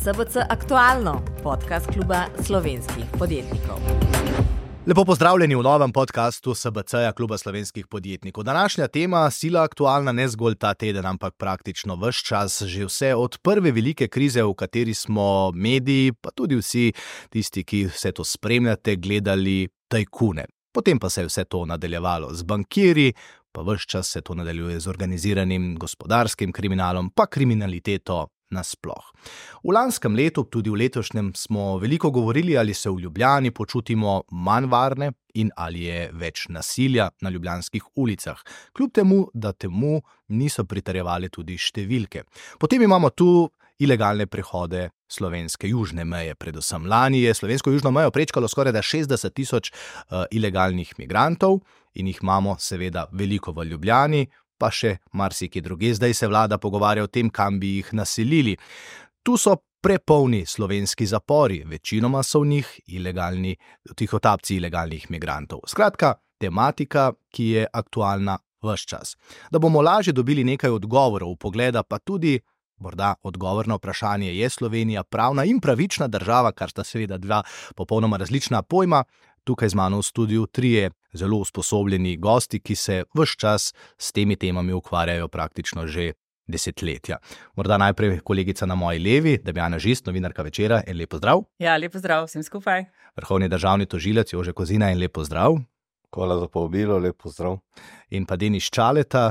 SBC Aktualno, podcast kluba slovenskih podjetnikov. Lepo pozdravljeni v novem podcastu SBC-ja kluba slovenskih podjetnikov. Današnja tema sila aktualna ne zgolj ta teden, ampak praktično ves čas, že vse od prve velike krize, v kateri smo mediji, pa tudi vsi tisti, ki vse to spremljate, gledali tajkune. Potem pa se je vse to nadaljevalo z bankirji, pa ves čas se to nadaljuje z organiziranim gospodarskim kriminalom, pa kriminaliteto nasploh. V lanskem letu, tudi v letošnjem, smo veliko govorili, ali se v Ljubljani počutimo manj varne in ali je več nasilja na ljubljanskih ulicah. Kljub temu, da temu niso pritrjevale tudi številke. Potem imamo tu ilegalne prehode slovenske južne meje. Predvsem lani je slovensko južno mejo prečkalo skoraj 60 000 ilegalnih migrantov in jih imamo seveda veliko v Ljubljani, pa še marsikje druge. Zdaj se vlada pogovarja o tem, kam bi jih naselili. Tu so prepolni slovenski zapori, večinoma so v njih ilegalni tihotapci ilegalnih migrantov. Skratka, tematika, ki je aktualna ves čas. Da bomo lažje dobili nekaj odgovorov, pogleda pa tudi morda odgovor na vprašanje, je Slovenija pravna in pravična država, kar sta seveda dva popolnoma različna pojma. Tukaj z mano v studiu trije zelo usposobljeni gosti, ki se ves čas s temi temami ukvarjajo praktično že desetletja. Morda najprej kolegica na moji levi, Damjana Žist, novinarka Večera, en lep pozdrav. Ja, lep pozdrav vsem skupaj. Vrhovni državni tožilec Jože Kozina, en lep pozdrav. Hvala za povabilo, lep pozdrav. In pa Denis Čaleta,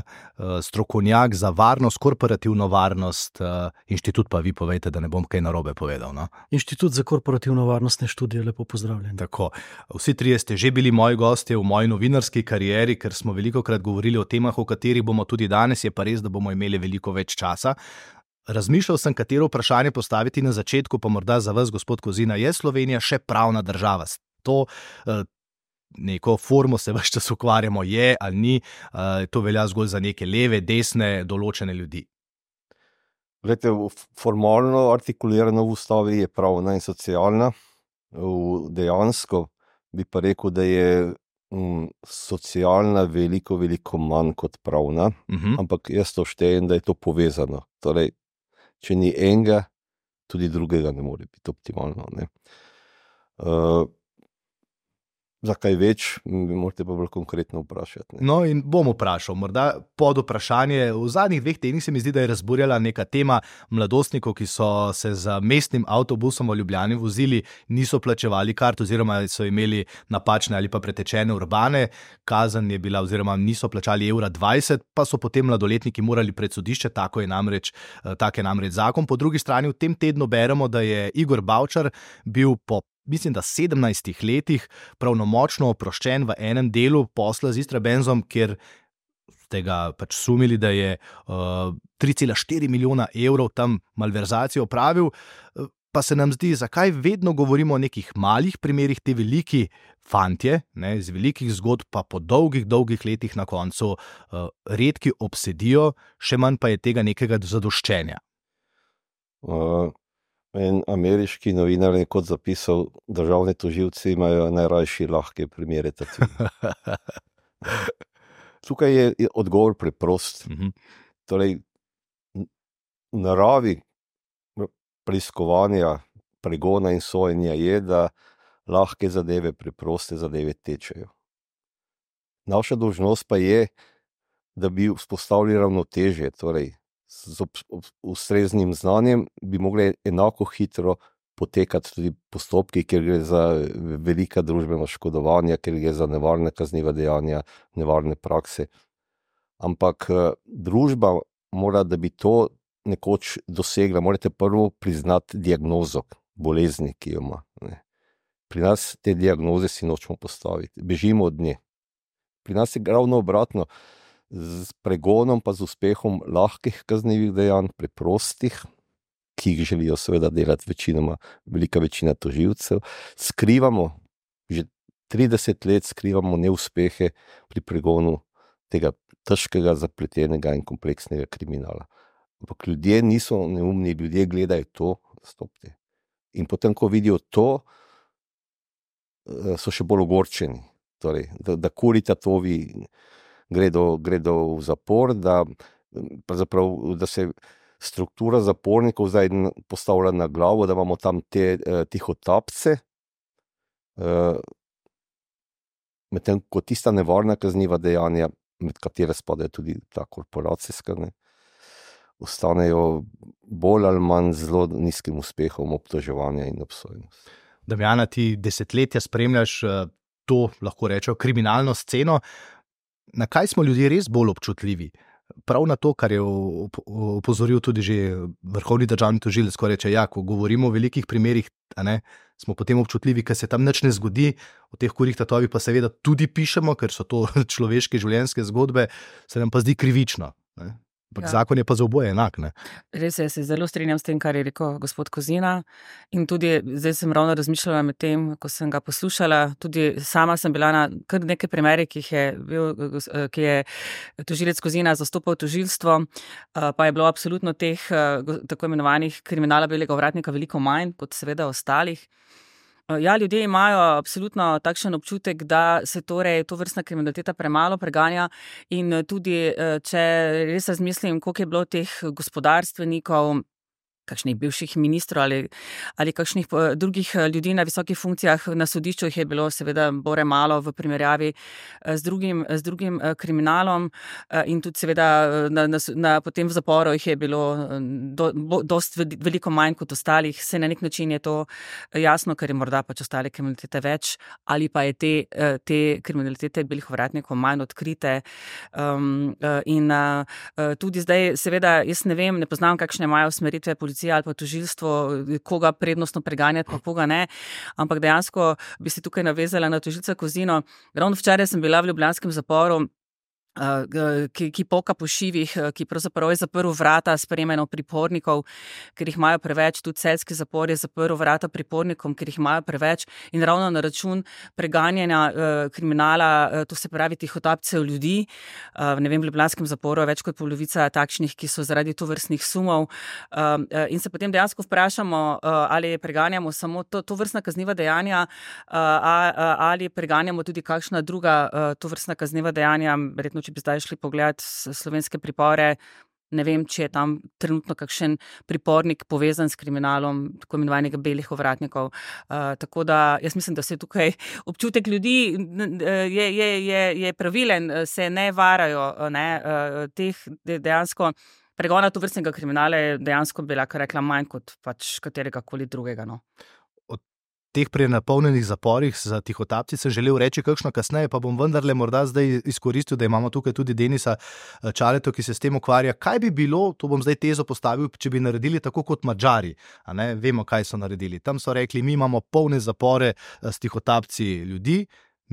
strokovnjak za varnost, korporativno varnost, inštitut, pa vi povejte, da ne bom kaj narobe povedal. No? Inštitut za korporativno varnostne študije, lepo pozdravljen. Tako, vsi trije ste že bili moji gostje v moji novinarski karieri, ker smo velikokrat govorili o temah, o katerih bomo tudi danes, je pa res, da bomo imeli veliko več časa. Razmišljal sem, katero vprašanje postaviti na začetku, pa morda za vas, gospod Kozina, je Slovenija še pravna država? To neko formo se ves čas ukvarjamo, je ali ni, to velja zgolj za neke leve, desne, določene ljudi. Glejte, formalno artikulirano v ustavi je pravna in socialna. Dejansko bi pa rekel, da je socialna veliko manj kot pravna, ampak jaz to štejem, da je to povezano. Torej, če ni enega, tudi drugega ne more biti optimalno. Ne? Za kaj več, morate pa bolj konkretno vprašati. Ne? No in bom vprašal, morda pod vprašanje. V zadnjih 2 tednih se mi zdi, da je razburjala neka tema mladostnikov, ki so se z mestnim avtobusom v Ljubljani vozili, niso plačevali kart oziroma so imeli napačne ali pa pretečene urbane. Kazen je bila oziroma niso plačali €20, pa so potem mladoletniki morali pred sodišče, tak je namreč zakon. Po drugi strani v tem tednu beremo, da je Igor Bavčar bil po mislim, da 17 letih pravnomočno oproščen v enem delu posla z Istrabenzom, kjer ste ga pač sumili, da je 3,4 milijona evrov tam malverzacijo opravil. Pa se nam zdi, zakaj vedno govorimo o nekih malih primerih, te veliki fantje, ne, iz velikih zgodb, pa po dolgih letih na koncu redki obsedijo, še manj pa je tega nekega zadoščenja. En ameriški novinar je kot zapisal, državni tožilci imajo najrajši lahke primere tatu. Tukaj je odgovor preprost. Torej, v naravi preiskovanja, pregona in sojenja je, da lahke zadeve, preproste zadeve tečejo. Naša dolžnost pa je, da bi vzpostavili ravnotežje, torej z ustreznim znanjem bi mogli enako hitro potekati tudi postopki, ker gre za velika družbena škodovanja, ker gre za nevarne kazniva dejanja, nevarne prakse. Ampak družba mora, da bi to nekoč dosegla, morate prvo priznati diagnozo bolezni, ki jo ima. Ne. Pri nas te diagnoze si nočemo postaviti, bežimo od nje. Pri nas je ravno obratno, z pregonom pa z uspehom lahkih kaznivih dejanj, preprostih, ki jih želijo seveda delati večinoma, velika večina tožilcev, skrivamo, že 30 let skrivamo neuspehe pri pregonu tega težkega, zapletenega in kompleksnega kriminala. Ampak ljudje niso neumni, ljudje gledajo to, stopte. In potem, ko vidijo to, so še bolj ogorčeni. Torej, da kurita tovi gredo v zapor, da se struktura zapornikov zdaj postavlja na glavo, da imamo tam te tihotapce, medtem ko tista nevarna kazniva dejanja, med katere spadajo tudi ta korporacijska, ostanejo bolj ali manj zelo nizkim uspehom obtoževanja in obsojenosti. Damjana, ti desetletja spremljaš to, lahko rečemo, kriminalno sceno. Na kaj smo ljudje res bolj občutljivi? Prav na to, kar je opozoril tudi že vrhovni državni tožilec, ko reče, ja, ko govorimo o velikih primerih, smo potem občutljivi, ker se tam nič ne zgodi, o teh kurjih tatovih pa seveda tudi pišemo, ker so to človeške življenjske zgodbe, se nam pa zdi krivično. Zakon je pa za oboje enak. Res je, se zelo strinjam s tem, kar je rekel gospod Kozina, in tudi zdaj sem ravno razmišljala med tem, ko sem ga poslušala, tudi sama sem bila na kar nekaj primerih, ki je tožilec Kozina zastopal tožilstvo, pa je bilo absolutno teh tako imenovanih kriminala belega ovratnika veliko manj kot seveda ostalih. Ja, ljudje imajo absolutno takšen občutek, da se torej tovrstna kriminaliteta premalo preganja in tudi, če res razmislim, koliko je bilo teh gospodarstvenikov, kakšnih bivših ministrov ali kakšnih drugih ljudi na visokih funkcijah na sodišču, jih je bilo seveda bore malo v primerjavi z drugim kriminalom, in tudi seveda potem v zaporu jih je bilo dosti veliko manj kot ostalih. Se na nek način je to jasno, ker je morda pač ostale kriminalitete več ali pa je te kriminalitete belih ovratnikov manj odkrite. In tudi zdaj seveda jaz ne vem, ne poznam, kakšne imajo usmeritve policije ali pa tožilstvo, koga prednostno preganjati, pa koga ne, ampak dejansko bi se tukaj navezala na tožilca Kozino. Ravno včeraj sem bila v ljubljanskem zaporu, ki poka po šivih, ki pravzaprav je zaprl vrata sprejemanja pripornikov, ker jih imajo preveč, tudi celjski zapor je zaprl vrata pripornikom, ker jih imajo preveč, in ravno na račun preganjanja kriminala, to se pravi tihotapcev ljudi. Ne vem, v ljubljanskem zaporu je več kot polovica takšnih, ki so zaradi tovrstnih sumov, in se potem dejansko vprašamo, ali preganjamo samo tovrstna kazniva dejanja, ali preganjamo tudi kakšna druga tovrstna kazniva dejanja. Verjetno, če bi zdaj šli pogledati slovenske pripore, ne vem, če je tam trenutno kakšen pripornik povezan s kriminalom tako imenovanega belih ovratnikov. Tako da jaz mislim, da se tukaj občutek ljudi je pravilen, se ne varajo, teh dejansko pregona tovrstnega kriminala je dejansko bila, kar rekla, manj kot pač katerega koli drugega. Teh prenapolnjenih zaporih za tihotapci sem želel reči kakšno kasneje, pa bom vendarle morda zdaj izkoristil, da imamo tukaj tudi Denisa Čaleto, ki se s tem ukvarja. Kaj bi bilo, to bom zdaj tezo postavil, če bi naredili tako kot Madžari? Vemo, kaj so naredili. Tam so rekli, mi imamo polne zapore s tihotapci ljudi,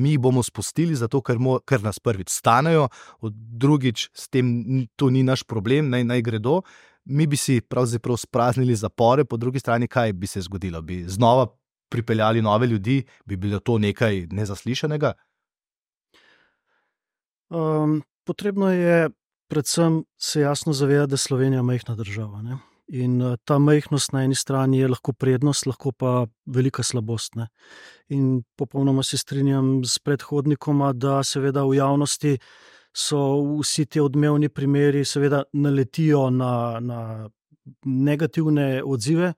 mi jih bomo spustili zato, ker nas prvič stanejo, drugič s tem to ni naš problem, naj gredo. Mi bi si pravzaprav spraznili zapore, po drugi strani kaj bi se zgodilo? Bi znova pripeljali nove ljudi, bi bilo to nekaj nezaslišanega? Potrebno je predvsem se jasno zavedati, da je Slovenija majhna država. In ta majhnost na eni strani je lahko prednost, lahko pa velika slabost. In popolnoma se strinjam s predhodnikoma, da seveda v javnosti so vsi ti odmevni primeri seveda naletijo na negativne odzive,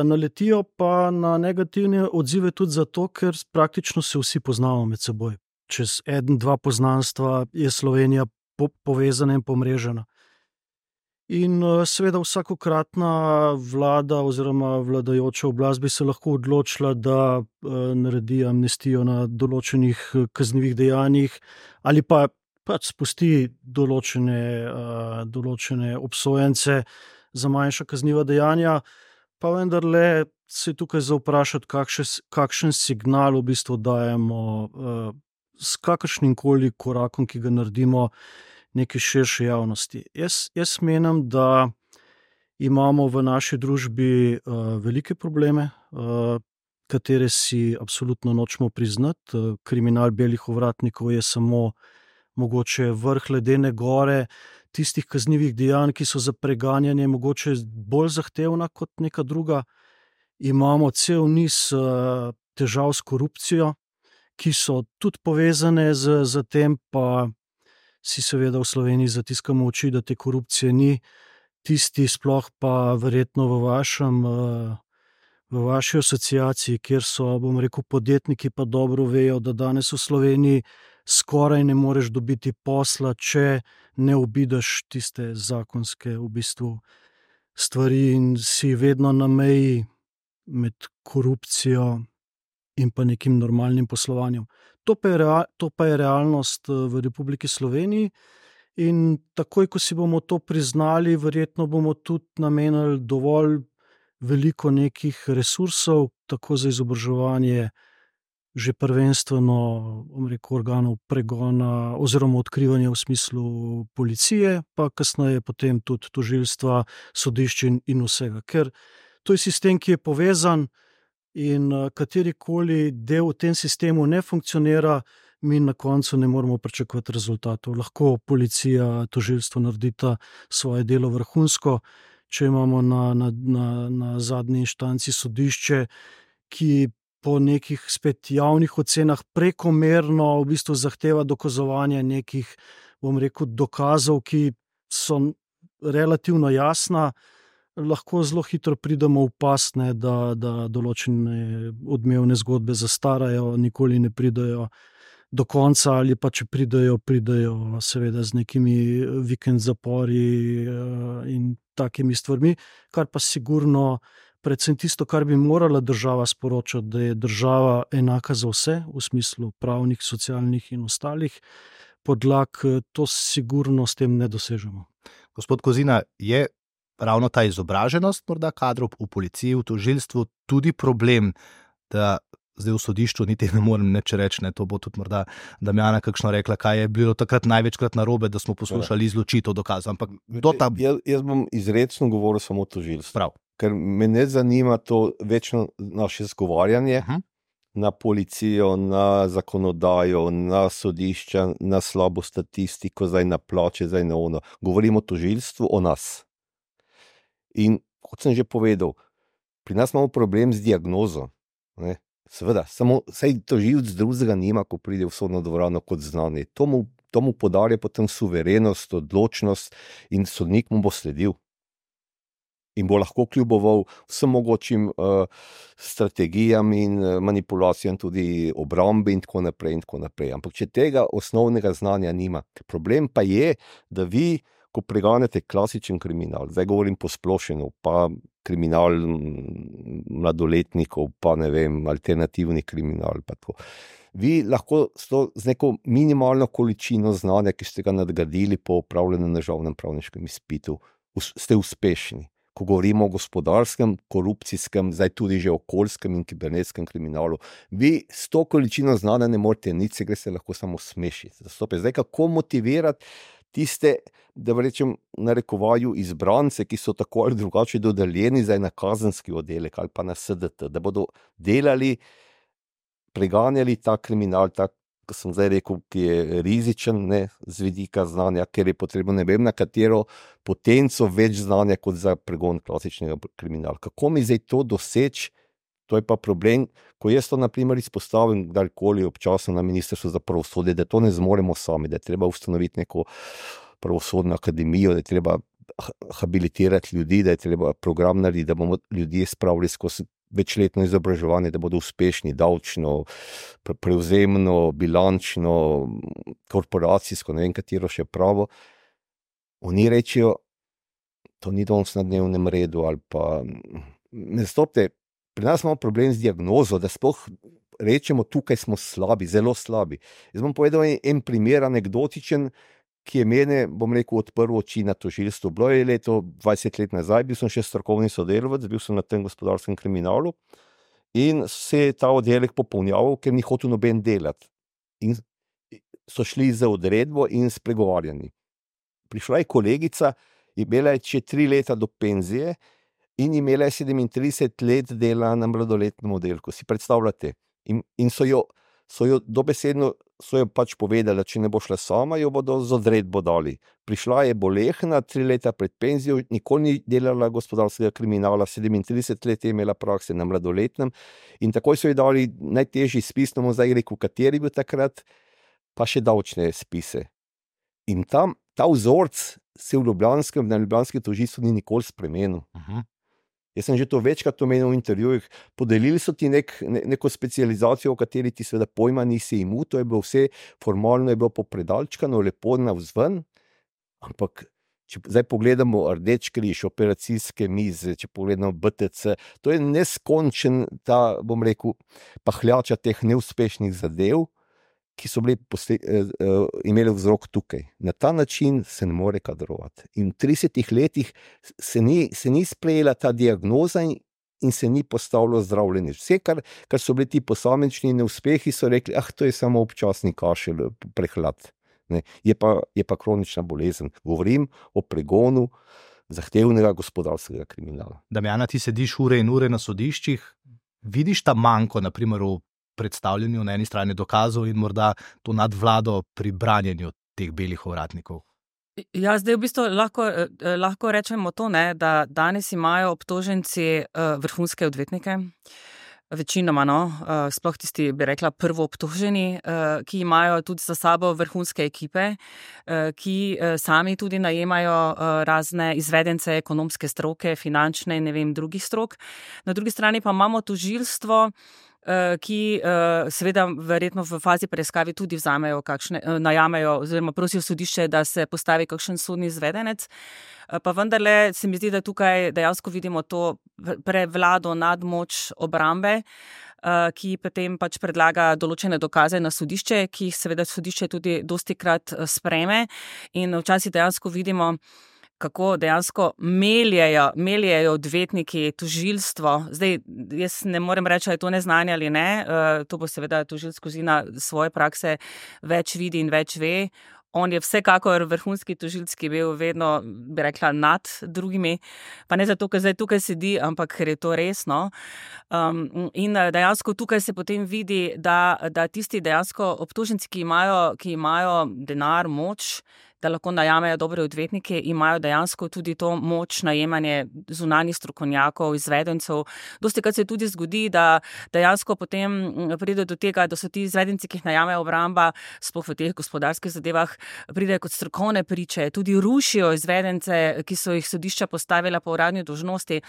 naletijo pa na negativne odzive tudi zato, ker praktično se vsi poznamo med seboj. Čez 1-2 poznanstva je Slovenija povezana in pomrežena. In seveda vsakokratna vlada oziroma vladajoča oblast bi se lahko odločila, da naredi amnestijo na določenih kaznivih dejanjih ali pa pač spusti določene obsojence za manjša kazniva dejanja. Pa vendarle se tukaj za vprašati, kakšen signal v bistvu dajemo s kakršnim koli korakom, ki ga naredimo neki širši javnosti. Jaz menim, da imamo v naši družbi velike probleme, katere si absolutno nočemo priznati. Kriminal belih ovratnikov je samo mogoče vrh ledene gore tistih kaznivih dejanj, ki so za preganjanje mogoče bolj zahtevna kot neka druga. Imamo cel niz težav s korupcijo, ki so tudi povezane z tem, pa si seveda v Sloveniji zatiskamo oči, da te korupcije ni. tisti, sploh pa verjetno v vaši asociaciji, kjer so, bom rekel, podjetniki, pa dobro vejo, da danes v Sloveniji skoraj ne moreš dobiti posla, če ne obideš tiste zakonske v bistvu stvari in si vedno na meji med korupcijo in pa nekim normalnim poslovanjem. To pa je realnost v Republiki Sloveniji in takoj, ko si bomo to priznali, verjetno bomo tudi namenili dovolj veliko nekih resursov, tako za izobraževanje že prvenstveno, bom rekel, organov pregona oziroma odkrivanja v smislu policije, pa kasneje potem tudi tožilstva, sodišč in vsega. Ker to je sistem, ki je povezan in katerikoli del v tem sistemu ne funkcionira, mi na koncu ne moremo pričakovati rezultatov. Lahko policija, tožilstvo naredita svoje delo vrhunsko, če imamo na zadnji inštanci sodišče, ki po nekih spet javnih ocenah prekomerno v bistvu zahteva dokazovanje nekih, bom rekel, dokazov, ki so relativno jasna, lahko zelo hitro pridemo v past, da določene odmevne zgodbe zastarajo, nikoli ne pridejo do konca, ali pa če pridejo seveda z nekimi vikend zapori in takimi stvarmi, kar pa sigurno, predvsem tisto, kar bi morala država sporočati, da je država enaka za vse, v smislu pravnih, socialnih in ostalih podlag, to sigurno s tem ne dosežemo. Gospod Kozina, je ravno ta izobraženost morda kadrov v policiji, v tožilstvu tudi problem, da zdaj v sodišču niti ne morem nič reči, to bo tudi morda Damjana kakšno rekla, kaj je bilo takrat največkrat narobe, da smo poslušali izločitev dokazov, ampak Jaz bom izrecno govoril samo o tožilstvu. Prav. Ker me ne zanima to večno naše zgovarjanje na policijo, na zakonodajo, na sodišča, na slabo statistiko, zdaj na plače, zdaj na ono. Govorimo o tožilstvu, o nas. In kot sem že povedal, pri nas imamo problem z diagnozo. Ne? Seveda, samo saj tožilec drugega nima, ko pride v sodno dvorano kot znani. To mu podarja potem suverenost, odločnost in sodnik mu bo sledil. In bo lahko kljuboval vsem mogočim strategijam in manipulacijam, tudi obrambe in tako naprej in tako naprej. Ampak če tega osnovnega znanja nima. Problem pa je, da vi, ko preganjate klasičen kriminal, zdaj govorim posplošeno, pa kriminal mladoletnikov, pa ne vem, alternativni kriminal, pa tako. Vi lahko z neko minimalno količino znanja, ki ste ga nadgradili po opravljenem državnem pravniškem izpitu, ste uspešni. Ko govorimo o gospodarskem, korupcijskem, zdaj tudi že okoljskem in kibernetskem kriminalu, vi s to količino znanja ne morete nič, se gre se lahko samo smešiti. Zdaj, kako motivirati tiste, da rečem, narekovaju izbrance, ki so tako ali drugače dodeljeni zdaj na kazenski oddelek ali pa na SDT, da bodo delali, preganjali ta kriminal, ko sem zdaj rekel, ki je rizičen, ne, z vidika znanja, ker je potrebno ne vem na katero potenco več znanja kot za pregon klasičnega kriminala. Kako mi zdaj to doseči? To je pa problem, ko jaz to na primer izpostavim kdajkoli občasno na Ministrstvu za pravosodje, da to ne zmoremo sami, da je treba ustanoviti neko pravosodno akademijo, da je treba habilitirati ljudi, da je treba program narediti, da bomo ljudje spravili skozi večletno izobraževanje, da bodo uspešni davčno, prevzemno, bilančno, korporacijsko, ne vem katero še pravo. Oni rečejo, to ni danes na dnevnem redu ali pa ne stopte. Pri nas imamo problem z diagnozo, da sploh rečemo, tukaj smo slabi, zelo slabi. Jaz bom povedal en primer anekdotičen, ki je mene, bom rekel, odprl oči na tožilstvu. Bilo je leto 20 let nazaj, bil sem še strokovni sodelavec, bil sem na tem gospodarskem kriminalu in se je ta oddelek popolnjaval, ker ni hotel noben delati. In so šli za odredbo in s pregovarjanji. Prišla je kolegica, imela je še 3 leta do penzije in imela je 37 let dela na mladoletnem oddelku. Si predstavljate? In so jo dobesedno pač povedali, če ne bo šla sama, jo bodo z odredbo dali. Prišla je bolehna, 3 leta pred penzijo, nikoli ni delala gospodarskega kriminala, 37 let je imela prakse na mladoletnem in takoj so ji dali najtežji spis, no zdaj rekel, kateri bil takrat, pa še davčne spise. In tam ta vzorc se na ljubljanskem tožilstvu ni nikoli spremenil. Jaz sem že to večkrat omenil v intervjujih. Podelili so ti neko specializacijo, o kateri ti seveda pojma nisi imel, to je bilo vse formalno, je bilo popredalčkano, lepo navzven, ampak če zdaj pogledamo Rdeč križ, operacijske mize, če pogledamo BTC, to je neskončen ta, bom rekel, pahljača teh neuspešnih zadev, ki so imeli vzrok tukaj. Na ta način se ne more kadrovati. In v 30 letih se ni sprejela ta diagnoza in se ni postavilo zdravljenje. Vse, kar so bili ti posamični neuspehi, so rekli, to je samo občasni kašelj, prehlad. Ne? Je pa kronična bolezen. Govorim o pregonu zahtevnega gospodarskega kriminala. Damjana, ti sediš ure in ure na sodiščih, vidiš ta manko, na primer v predstavljanju na eni strani dokazov in morda to nadvlado pri branjenju teh belih ovratnikov? Ja, zdaj v bistvu lahko rečemo to, ne, da danes imajo obtoženci vrhunske odvetnike, večinoma, sploh tisti, bi rekla, prvo obtoženi, ki imajo tudi za sabo vrhunske ekipe, ki sami tudi najemajo razne izvedence ekonomske stroke, finančne in ne vem, drugih strok. Na drugi strani pa imamo tožilstvo, ki seveda verjetno v fazi preiskave tudi vzamejo najamejo oziroma prosijo sodišče, da se postavi kakšen sodni izvedenec. Pa vendarle se mi zdi, da tukaj dejansko vidimo to prevlado nadmoč obrambe, ki potem pač predlaga določene dokaze na sodišče, ki jih seveda sodišče tudi dostikrat sprejme, in včasih dejansko vidimo, kako dejansko meljejo odvetniki tožilstvo. Zdaj, jaz ne morem reči, ali je to neznanje ali ne, to bo seveda tožilec Kozina svoje prakse več vidi in več ve. On je vsekakor vrhunski tožilec, ki je bil vedno, bi rekla, nad drugimi, pa ne zato, ker zdaj tukaj sedi, ampak ker je to resno. In dejansko tukaj se potem vidi, da tisti dejansko obtoženci, ki imajo denar, moč, da lahko najamejo dobre odvetnike, imajo dejansko tudi to moč najemanje zunanjih strokovnjakov, izvedencev. Dostikrat se tudi zgodi, da dejansko potem pride do tega, da so ti izvedenci, ki jih najamejo obramba, sploh v teh gospodarskih zadevah, pridejo kot strokovne priče, tudi rušijo izvedence, ki so jih sodišča postavila po uradni dolžnosti.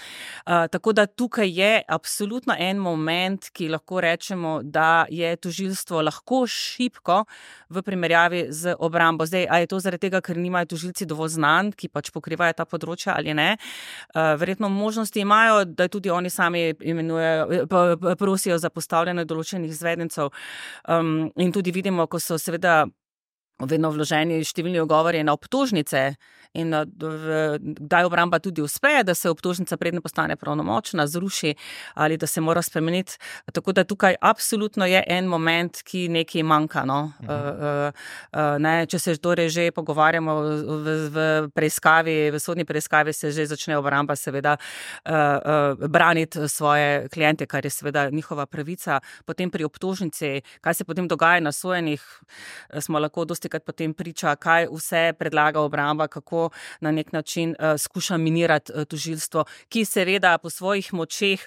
Tako da tukaj je absolutno en moment, ki lahko rečemo, da je tožilstvo lahko šibko v primerjavi z obrambo. Zdaj, a je to zaradi tega, ker nimajo tožilci dovolj znanj, ki pač pokrivajo ta področja ali ne. Verjetno možnosti imajo, da tudi oni sami prosijo za postavljanje določenih izvedencev. In tudi vidimo, ko so seveda vedno vloženi številni ugovori na obtožnice in kdaj obramba tudi uspe, da se obtožnica predne postane pravnomočna, zruši ali da se mora spremeniti. Tako da tukaj absolutno je en moment, ki nekaj manjka. Če se torej že pogovarjamo v preiskavi, v sodni preiskavi se že začne obramba seveda braniti svoje kliente, kar je seveda njihova pravica. Potem pri obtožnici, kaj se potem dogaja na sojenjih, smo lahko dostikrat potem priča, kaj vse predlaga obramba, kako na nek način skuša minirati tožilstvo, ki seveda po svojih močeh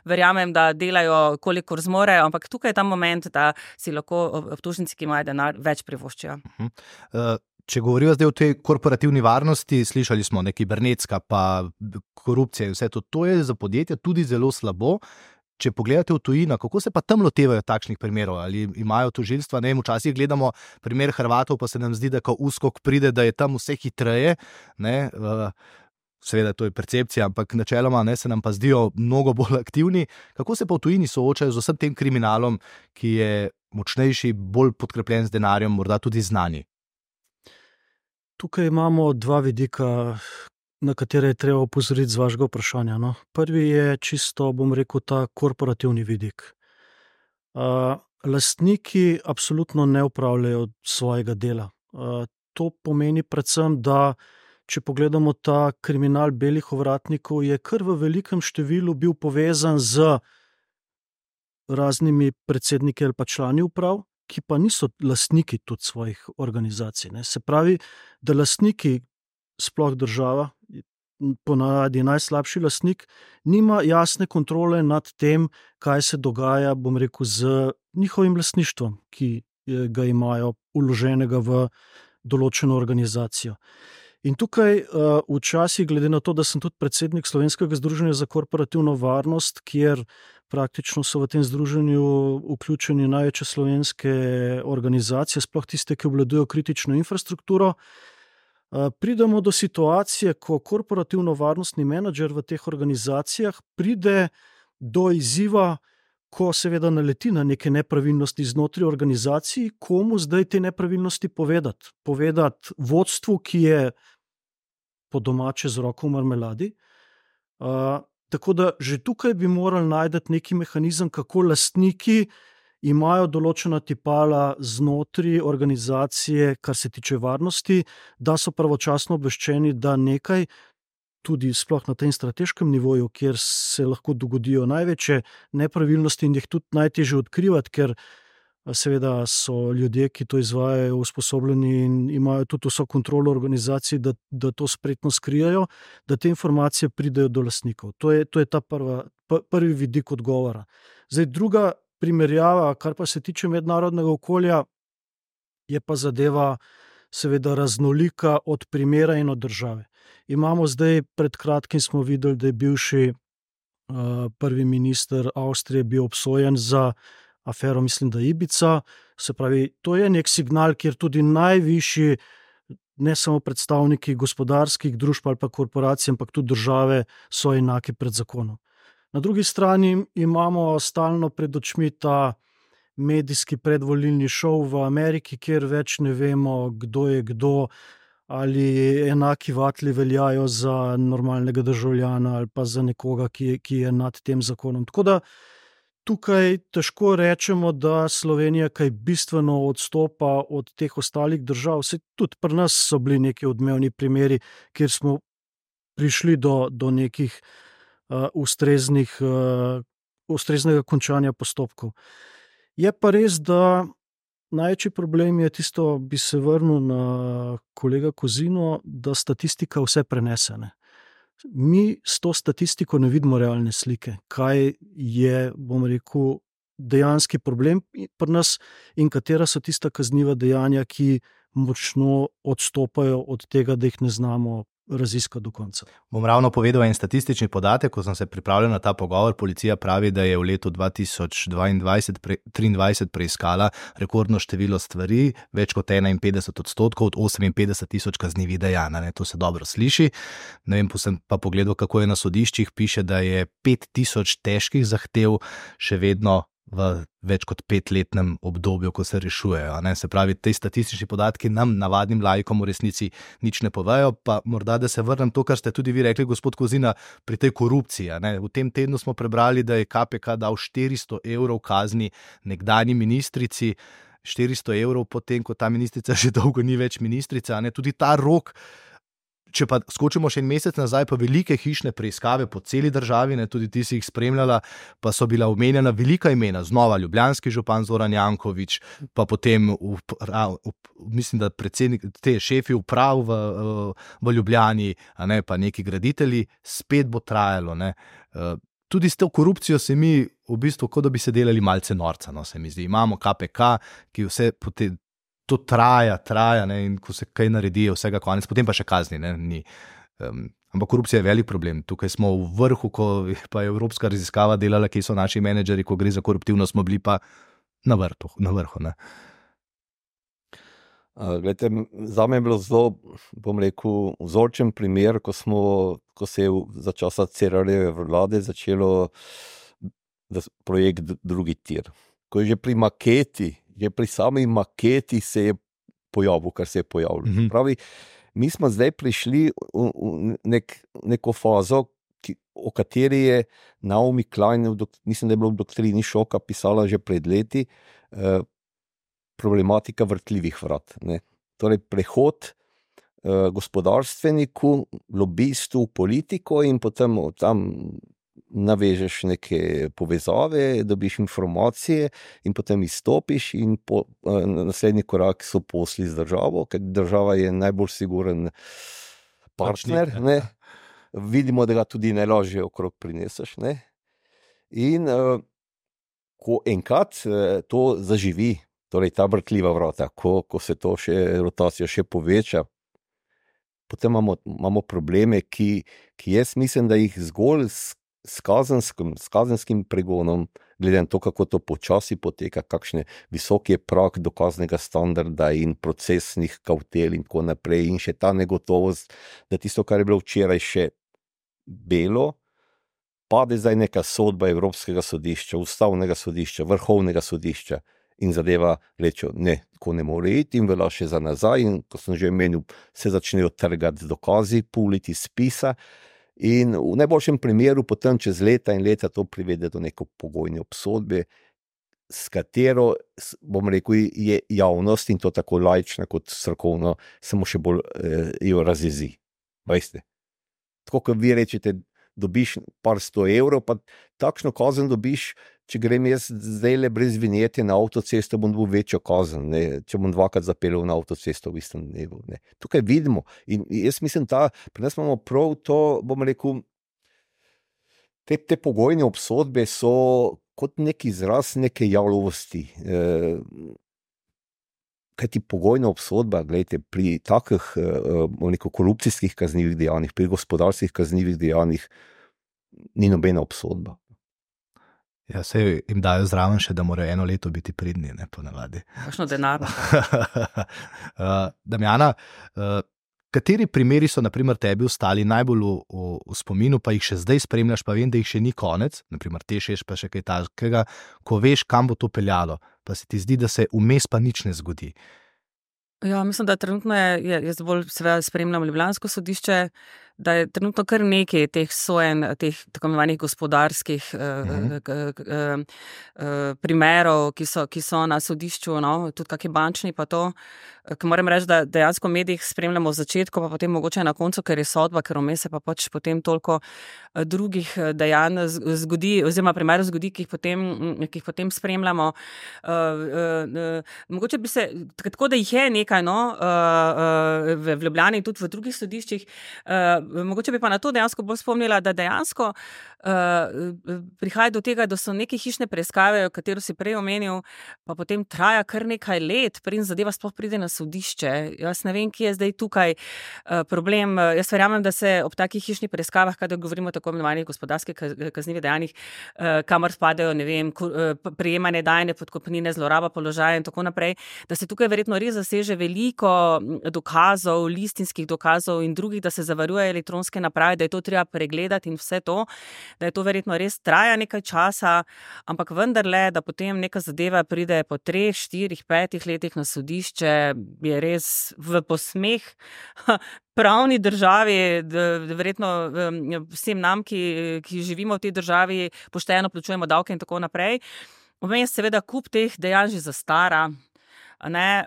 verjamem, da delajo kolikor zmorejo, ampak tukaj je ta moment, da si lahko obtožnici, ki imajo denar, več privoščijo. Če govorijo zdaj o tej korporativni varnosti, slišali smo kibernetska pa korupcija in vse to je za podjetja tudi zelo slabo. Če pogledate v tujino, kako se pa tam lotevajo takšnih primerov? Ali imajo tožilstva? Ne vem, včasih gledamo primer Hrvatov, pa se nam zdi, da ko USKOK pride, da je tam vse hitreje. Ne? Seveda to je percepcija, ampak načeloma se nam pa zdijo mnogo bolj aktivni. Kako se pa v tujini soočajo z vsem tem kriminalom, ki je močnejši, bolj podkrepljen z denarjem, morda tudi znani? Tukaj imamo dva vidika, na katere je treba opozoriti z vašega vprašanja. Prvi je čisto, bom rekel, ta korporativni vidik. Lastniki absolutno ne upravljajo svojega dela. To pomeni predvsem, da če pogledamo ta kriminal belih ovratnikov, je kar v velikem številu bil povezan z raznimi predsedniki ali pa člani uprav, ki pa niso lastniki tudi svojih organizacij. Se pravi, da lastniki, sploh država, ponavadi najslabši lastnik, nima jasne kontrole nad tem, kaj se dogaja, bom rekel, z njihovim lastništvom, ki ga imajo vloženega v določeno organizacijo. In tukaj včasih, glede na to, da sem tudi predsednik Slovenskega združenja za korporativno varnost, kjer praktično so v tem združenju vključeni največje slovenske organizacije, sploh tiste, ki obvladujejo kritično infrastrukturo, pridemo do situacije, ko korporativno-varnostni menedžer v teh organizacijah pride do izziva, ko seveda naleti na neke nepravilnosti znotraj organizacij, komu zdaj te nepravilnosti povedati. Povedati vodstvu, ki je po domače z roko v marmeladi. Tako da že tukaj bi morali najti neki mehanizem, kako lastniki imajo določena tipala znotraj organizacije, kar se tiče varnosti, da so pravočasno obveščeni, da nekaj, tudi sploh na tem strateškem nivoju, kjer se lahko dogodijo največje nepravilnosti in jih tudi najtežje odkrivati, ker seveda so ljudje, ki to izvajajo, usposobljeni in imajo tudi vso kontrolo organizacij, da to spretno skrijajo, da te informacije pridejo do lastnikov. To je ta prvi vidik odgovora. Zdaj, druga primerjava, kar pa se tiče mednarodnega okolja, je pa zadeva seveda raznolika od primera in od države. Imamo zdaj, pred kratkim smo videli, da je bivši prvi minister Avstrije bil obsojen za afero, mislim, da Ibiza. Se pravi, to je nek signal, kjer tudi najvišji, ne samo predstavniki gospodarskih družb ali pa korporacij, ampak tudi države so enaki pred zakonom. Na drugi strani imamo stalno pred očmi ta medijski predvolilni šov v Ameriki, kjer več ne vemo, kdo je kdo, ali enaki vatli veljajo za normalnega državljana ali pa za nekoga, ki je nad tem zakonom. Tako da tukaj težko rečemo, da Slovenija kaj bistveno odstopa od teh ostalih držav. Saj tudi pri nas so bili neki odmevni primeri, kjer smo prišli do nekih ustreznega končanja postopkov. Je pa res, da največji problem je tisto, bi se vrnil na kolega Kozino, da statistika vse prenese. Mi s to statistiko ne vidimo realne slike, kaj je, bom rekel, dejanski problem pri nas in katera so tista kazniva dejanja, ki močno odstopajo od tega, da jih ne znamo raziskati do konca. Bom ravno povedal en statistični podatek, ko sem se pripravljal na ta pogovor. Policija pravi, da je v letu 2022-2023 preiskala rekordno število stvari, več kot 51% od 58 tisoč kaznivih dejanj. To se dobro sliši. Ne vem, sem pa pogledal, kako je na sodiščih, piše, da je 5000 težkih zahtev še vedno v več kot 5-letnem obdobju, ko se rešujejo. Se pravi, te statistični podatki nam, navadnim laikom, v resnici nič ne povejo. Pa morda, da se vrnem to, kar ste tudi vi rekli, gospod Kozina, pri tej korupciji. V tem tednu smo prebrali, da je KPK dal 400 evrov kazni nekdanji ministrici, 400 evrov potem, ko ta ministrica že dolgo ni več ministrica. Tudi ta rok. Če pa skočimo še en mesec nazaj, pa velike hišne preiskave po celi državi, tudi ti si jih spremljala, pa so bila omenjena velika imena, znova ljubljanski župan Zoran Janković, pa potem mislim, da predsednik, te šefi uprav v Ljubljani, pa neki graditelji, spet bo trajalo. Tudi s to korupcijo se mi v bistvu, kot da bi se delali malce norca, se mi zdi. Imamo KPK, ki vse potem to traja, in ko se kaj naredi, je vsega konec, potem pa še kazni. Ampak korupcija je velik problem. Tukaj smo v vrhu, ko pa je evropska raziskava delala, ki so naši menedžeri, ko gre za koruptivno, smo bili pa na vrhu. Glejte, zame je bilo zelo, bom rekel, vzorčen primer, ko se je za časa Cerarjeve vlade začelo projekt drugi tir. Ko je že pri maketi, že pri sami maketi se je pojavil, kar se je pojavilo. Pravi, mi smo zdaj prišli v neko fazo, o kateri je Naomi Klein, mislim, da je bilo v doktrini šoka pisala že pred leti, problematika vrtljivih vrat. Torej, prehod gospodarstveniku, lobistu, politiko in potem tam navežeš neke povezave, dobiš informacije in potem izstopiš in naslednji korak so posli z državo, ker država je najbolj siguren partner. Vidimo, da ga tudi najlažje okrog prineseš. In ko enkrat to zaživi, torej ta vrtljiva vrata, ko se to rotacija še poveča, potem imamo probleme, ki jaz mislim, da jih zgolj s kazenskim pregonom, glede na to, kako to počasi poteka, kakšne visoke prag dokaznega standarda in procesnih kavtel in tako naprej, in še ta negotovost, da tisto, kar je bilo včeraj še belo, pade zdaj neka sodba Evropskega sodišča, Ustavnega sodišča, Vrhovnega sodišča in zadeva reče, ne, tako ne more iti in velja še za nazaj, in ko sem že omenil, se začnejo trgati z dokazi, puliti spisa. In v najboljšem primeru potem čez leta in leta to privede do neko pogojne obsodbe, s katero, bom rekel, je javnost, in to tako laična kot strokovno, samo še bolj jo razjezi. Veste? Tako, kot vi rečete, dobiš par 100 evrov, pa takšno kazen dobiš, če grem jaz zdaj le brez vinjete na avtocesto, bom dobil večjo kazen, ne? Če bom dvakrat zapeljal na avtocesto v istem dnevu. Ne? Tukaj vidimo in jaz mislim, pri nas imamo prav to, bom rekel, te pogojne obsodbe so kot nek izraz neke jalovosti. Kajti pogojna obsodba, gledajte, pri takih korupcijskih kaznivih dejanjih, pri gospodarskih kaznivih dejanjih ni nobena obsodba. Ja, sej jim dajo zraven še, da morajo 1 leto biti pridni, ne, ponavadi. Kakšno denar. Damjana, kateri primeri so naprimer tebi ostali najbolj v spominu, pa jih še zdaj spremljaš, pa vem, da jih še ni konec, naprimer TEŠ pa še kaj takega, ko veš, kam bo to peljalo, pa se ti zdi, da se vmes pa nič ne zgodi? Ja, mislim, da trenutno jaz bolj seveda spremljam ljubljansko sodišče, da je trenutno kar nekaj teh sojenj, teh tako imenovanih gospodarskih primerov, ki so na sodišču, no, tudi kakšni bančni pa to, ki moram reči, da dejansko v medijih spremljamo v začetku, pa potem mogoče na koncu, ker je sodba, ker vmes se pa pač potem toliko drugih dejanj zgodi, oziroma primerov zgodi, ki jih potem spremljamo. Mogoče bi se, tako da jih je nekaj, no, v Ljubljani in tudi v drugih sodiščih, mogoče bi pa na to dejansko bolj spomnila, da dejansko prihaja do tega, da so neke hišne preiskave, katero si prej omenil, pa potem traja kar nekaj let, preden zadeva sploh pride na sodišče. Jaz ne vem, kje je zdaj tukaj problem. Jaz verjamem, da se ob takih hišnih preiskavah, kadar govorimo o tako imenovanih gospodarskih kaznivih dejanjih, kamor spadajo, ne vem, prejemanje dajne podkupnine, zloraba položaja in tako naprej, da se tukaj verjetno res zaseže veliko dokazov, listinskih dokazov in drugih, da se zavaruje elektronske naprave, da je to treba pregledati in vse to, da je to verjetno res traja nekaj časa, ampak vendarle, da potem neka zadeva pride po 3, 4, 5 letih na sodišče, je res v posmeh pravni državi, verjetno vsem nam, ki živimo v tej državi, pošteno plačujemo davke in tako naprej. Vmes seveda kup teh dejanj že zastara, ne,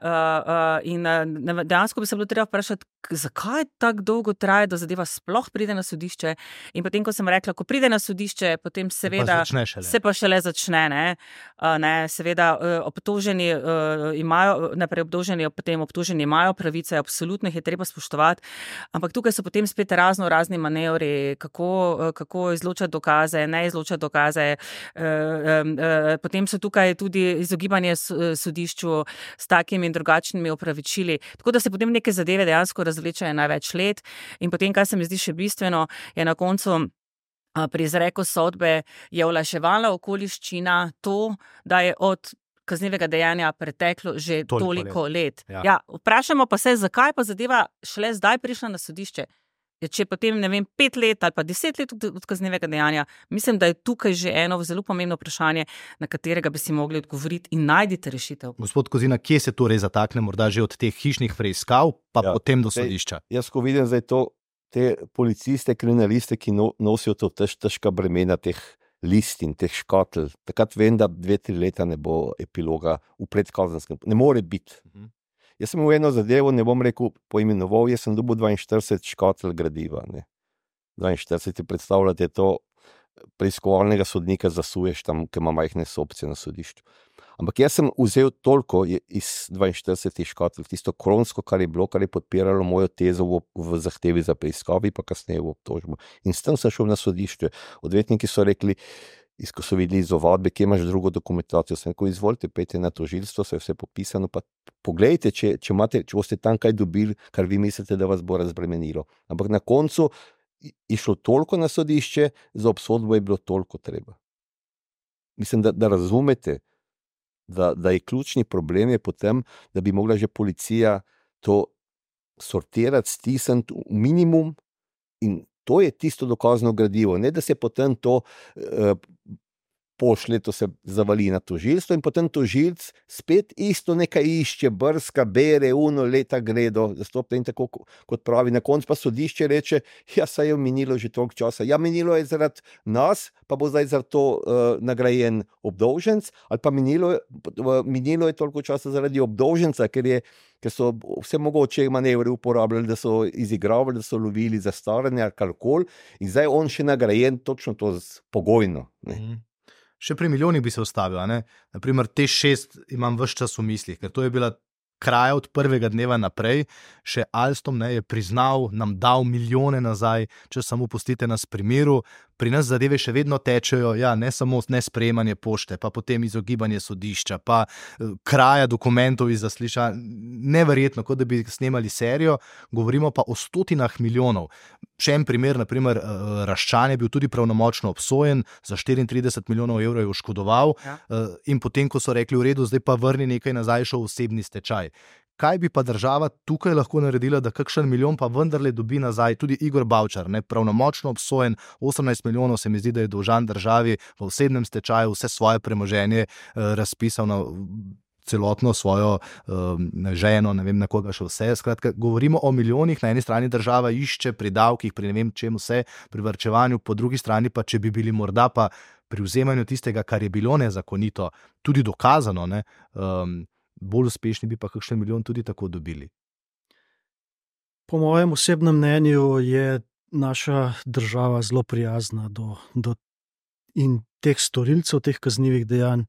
in dejansko bi se bilo treba vprašati, zakaj tako dolgo traja, da zadeva sploh pride na sodišče, in potem, ko sem rekla, ko pride na sodišče, potem seveda se pa šele začne, ne, seveda obtoženi imajo, najprej obtoženi imajo pravice, absolutno jih je treba spoštovati, ampak tukaj so potem spet razni manevri, kako izločati dokaze, ne izločati dokaze, potem so tukaj tudi izogibanje sodišču s takimi in drugačnimi opravičili, tako da se potem neke zadeve dejansko razvlečajo največ let, in potem, kar se mi zdi še bistveno, je na koncu pri izreku sodbe je olajševalna okoliščina to, da je od kaznivega dejanja preteklo že toliko let. Ja, vprašamo pa se, zakaj pa zadeva šele zdaj prišla na sodišče. Če potem, ne vem, 5 let ali pa 10 let od kaznivega dejanja, mislim, da je tukaj že eno zelo pomembno vprašanje, na katerega bi si mogli odgovoriti in najdite rešitev. Gospod Kozina, kje se torej zatakne, morda že od teh hišnih preiskav, pa potem do sodišča? Jaz, ko vidim zdaj te policiste, kriminaliste, ki nosijo to težka bremena teh listin, teh škatel, takrat vem, da 2-3 leta ne bo epiloga v predkazenskem, ne more biti. Jaz sem v eno zadevo, ne bom rekel poimenoval, jaz sem dobil 42 škatel gradiva. Ne. 42, predstavljate to, preiskovalnega sodnika zasuješ tam, ki ima majhne opcije na sodišču. Ampak jaz sem vzel toliko iz 42 škatel, tisto kronsko, kar je bilo, kar je podpiralo mojo tezo v zahtevi za preiskavi, pa kasneje v obtožbo. In s tem sem šel na sodišče. Odvetniki so rekli, ko so videli iz ovadbe, kje imaš drugo dokumentacijo, sem rekel, izvolite, pejte na tožilstvo, se je vse popisano, pa poglejte, če boste tam kaj dobili, kar vi mislite, da vas bo razbremenilo. Ampak na koncu je šlo toliko na sodišče, za obsodbo je bilo toliko treba. Mislim, da razumete, da je ključni problem je potem, da bi mogla že policija to sortirati, stisniti v minimum in to je tisto dokazno gradivo. Ne, da se potem to pošlje, to se zavali na tožilstvo in potem tožilc spet isto nekaj išče, brska, bere, leta gredo, zastopne in tako, kot pravi. Na koncu pa sodišče reče, ja, saj je minilo že toliko časa. Ja, minilo je zaradi nas, pa bo zdaj za to nagrajen obdolženc, ali pa minilo je toliko časa zaradi obdolženca, ker so vse mogoče manevre uporabljali, da so izigravali, da so lovili zastaranje ali karkoli in zdaj on še nagrajen točno to pogojno. Ne. Še pri milijonih bi se ustavil, ne? Naprimer, te 6 imam ves čas v mislih, ker to je bila kraja od prvega dneva naprej, še Alstom je priznal, nam dal milijone nazaj, če samo pustite nas pri miru. Pri nas zadeve še vedno tečejo, ja, ne samo nesprejemanje pošte, pa potem izogibanje sodišča, pa kraja dokumentov iz zaslišanja, neverjetno, kot da bi snemali serijo, govorimo pa o stotinah milijonov. Še en primer, naprimer, Raščan je bil tudi pravnomočno obsojen, za 34 milijonov evrov je oškodoval, in potem, ko so rekli v redu, zdaj pa vrni nekaj nazaj, šel osebni stečaj. Kaj bi pa država tukaj lahko naredila, da kakšen milijon pa vendarle dobi nazaj? Tudi Igor Bavčar, pravnomočno obsojen, 18 milijonov se mi zdi, da je dolžan državi, v osebnem stečaju vse svoje premoženje razpisal na celotno svojo ženo, ne vem na koga še vse. Skratka, govorimo o milijonih, na eni strani država išče pri davkih, pri ne vem čem vse, pri varčevanju, po drugi strani pa, če bi bili morda pa pri vzemanju tistega, kar je bilo nezakonito, tudi dokazano, bolj uspešni bi pa kakšen milijon tudi tako dobili. Po mojem osebnem mnenju je naša država zelo prijazna do in teh storilcev, teh kaznivih dejanj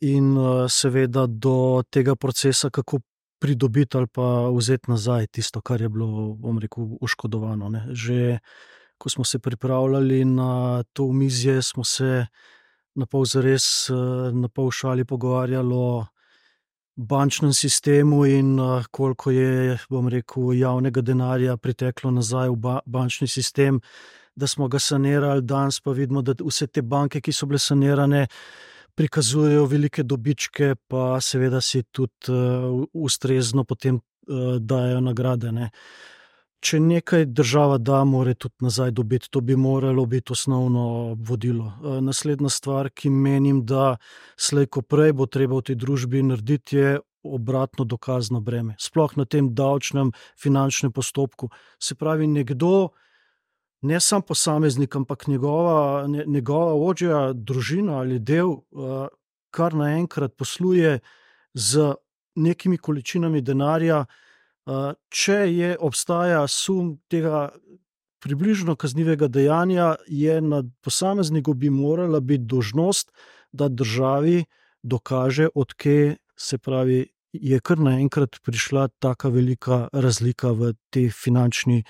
in seveda do tega procesa, kako pridobiti ali pa vzeti nazaj tisto, kar je bilo, bom rekel, oškodovano. Ne. Že ko smo se pripravljali na to omizje, smo se na pol zares, na pol šali pogovarjali o bančnem sistemu in koliko je, bom rekel, javnega denarja priteklo nazaj v bančni sistem, da smo ga sanirali. Danes pa vidimo, da vse te banke, ki so bile sanirane, prikazujejo velike dobičke, pa seveda si tudi ustrezno potem dajo nagrade. Ne. Če nekaj država da, mora tudi nazaj dobiti. To bi moralo biti osnovno vodilo. Naslednja stvar, ki menim, da slej ko prej bo treba v tej družbi narediti, je obratno dokazno breme. Sploh na tem davčnem, finančnem postopku. Se pravi, nekdo, ne sam posameznik, ampak njegova ožja družina ali del, kar naenkrat posluje z nekimi količinami denarja, če obstaja sum tega približno kaznivega dejanja, je na posamezniku bi morala biti dolžnost, da državi dokaže, od kje, se pravi, je kar naenkrat prišla taka velika razlika v tej finančnem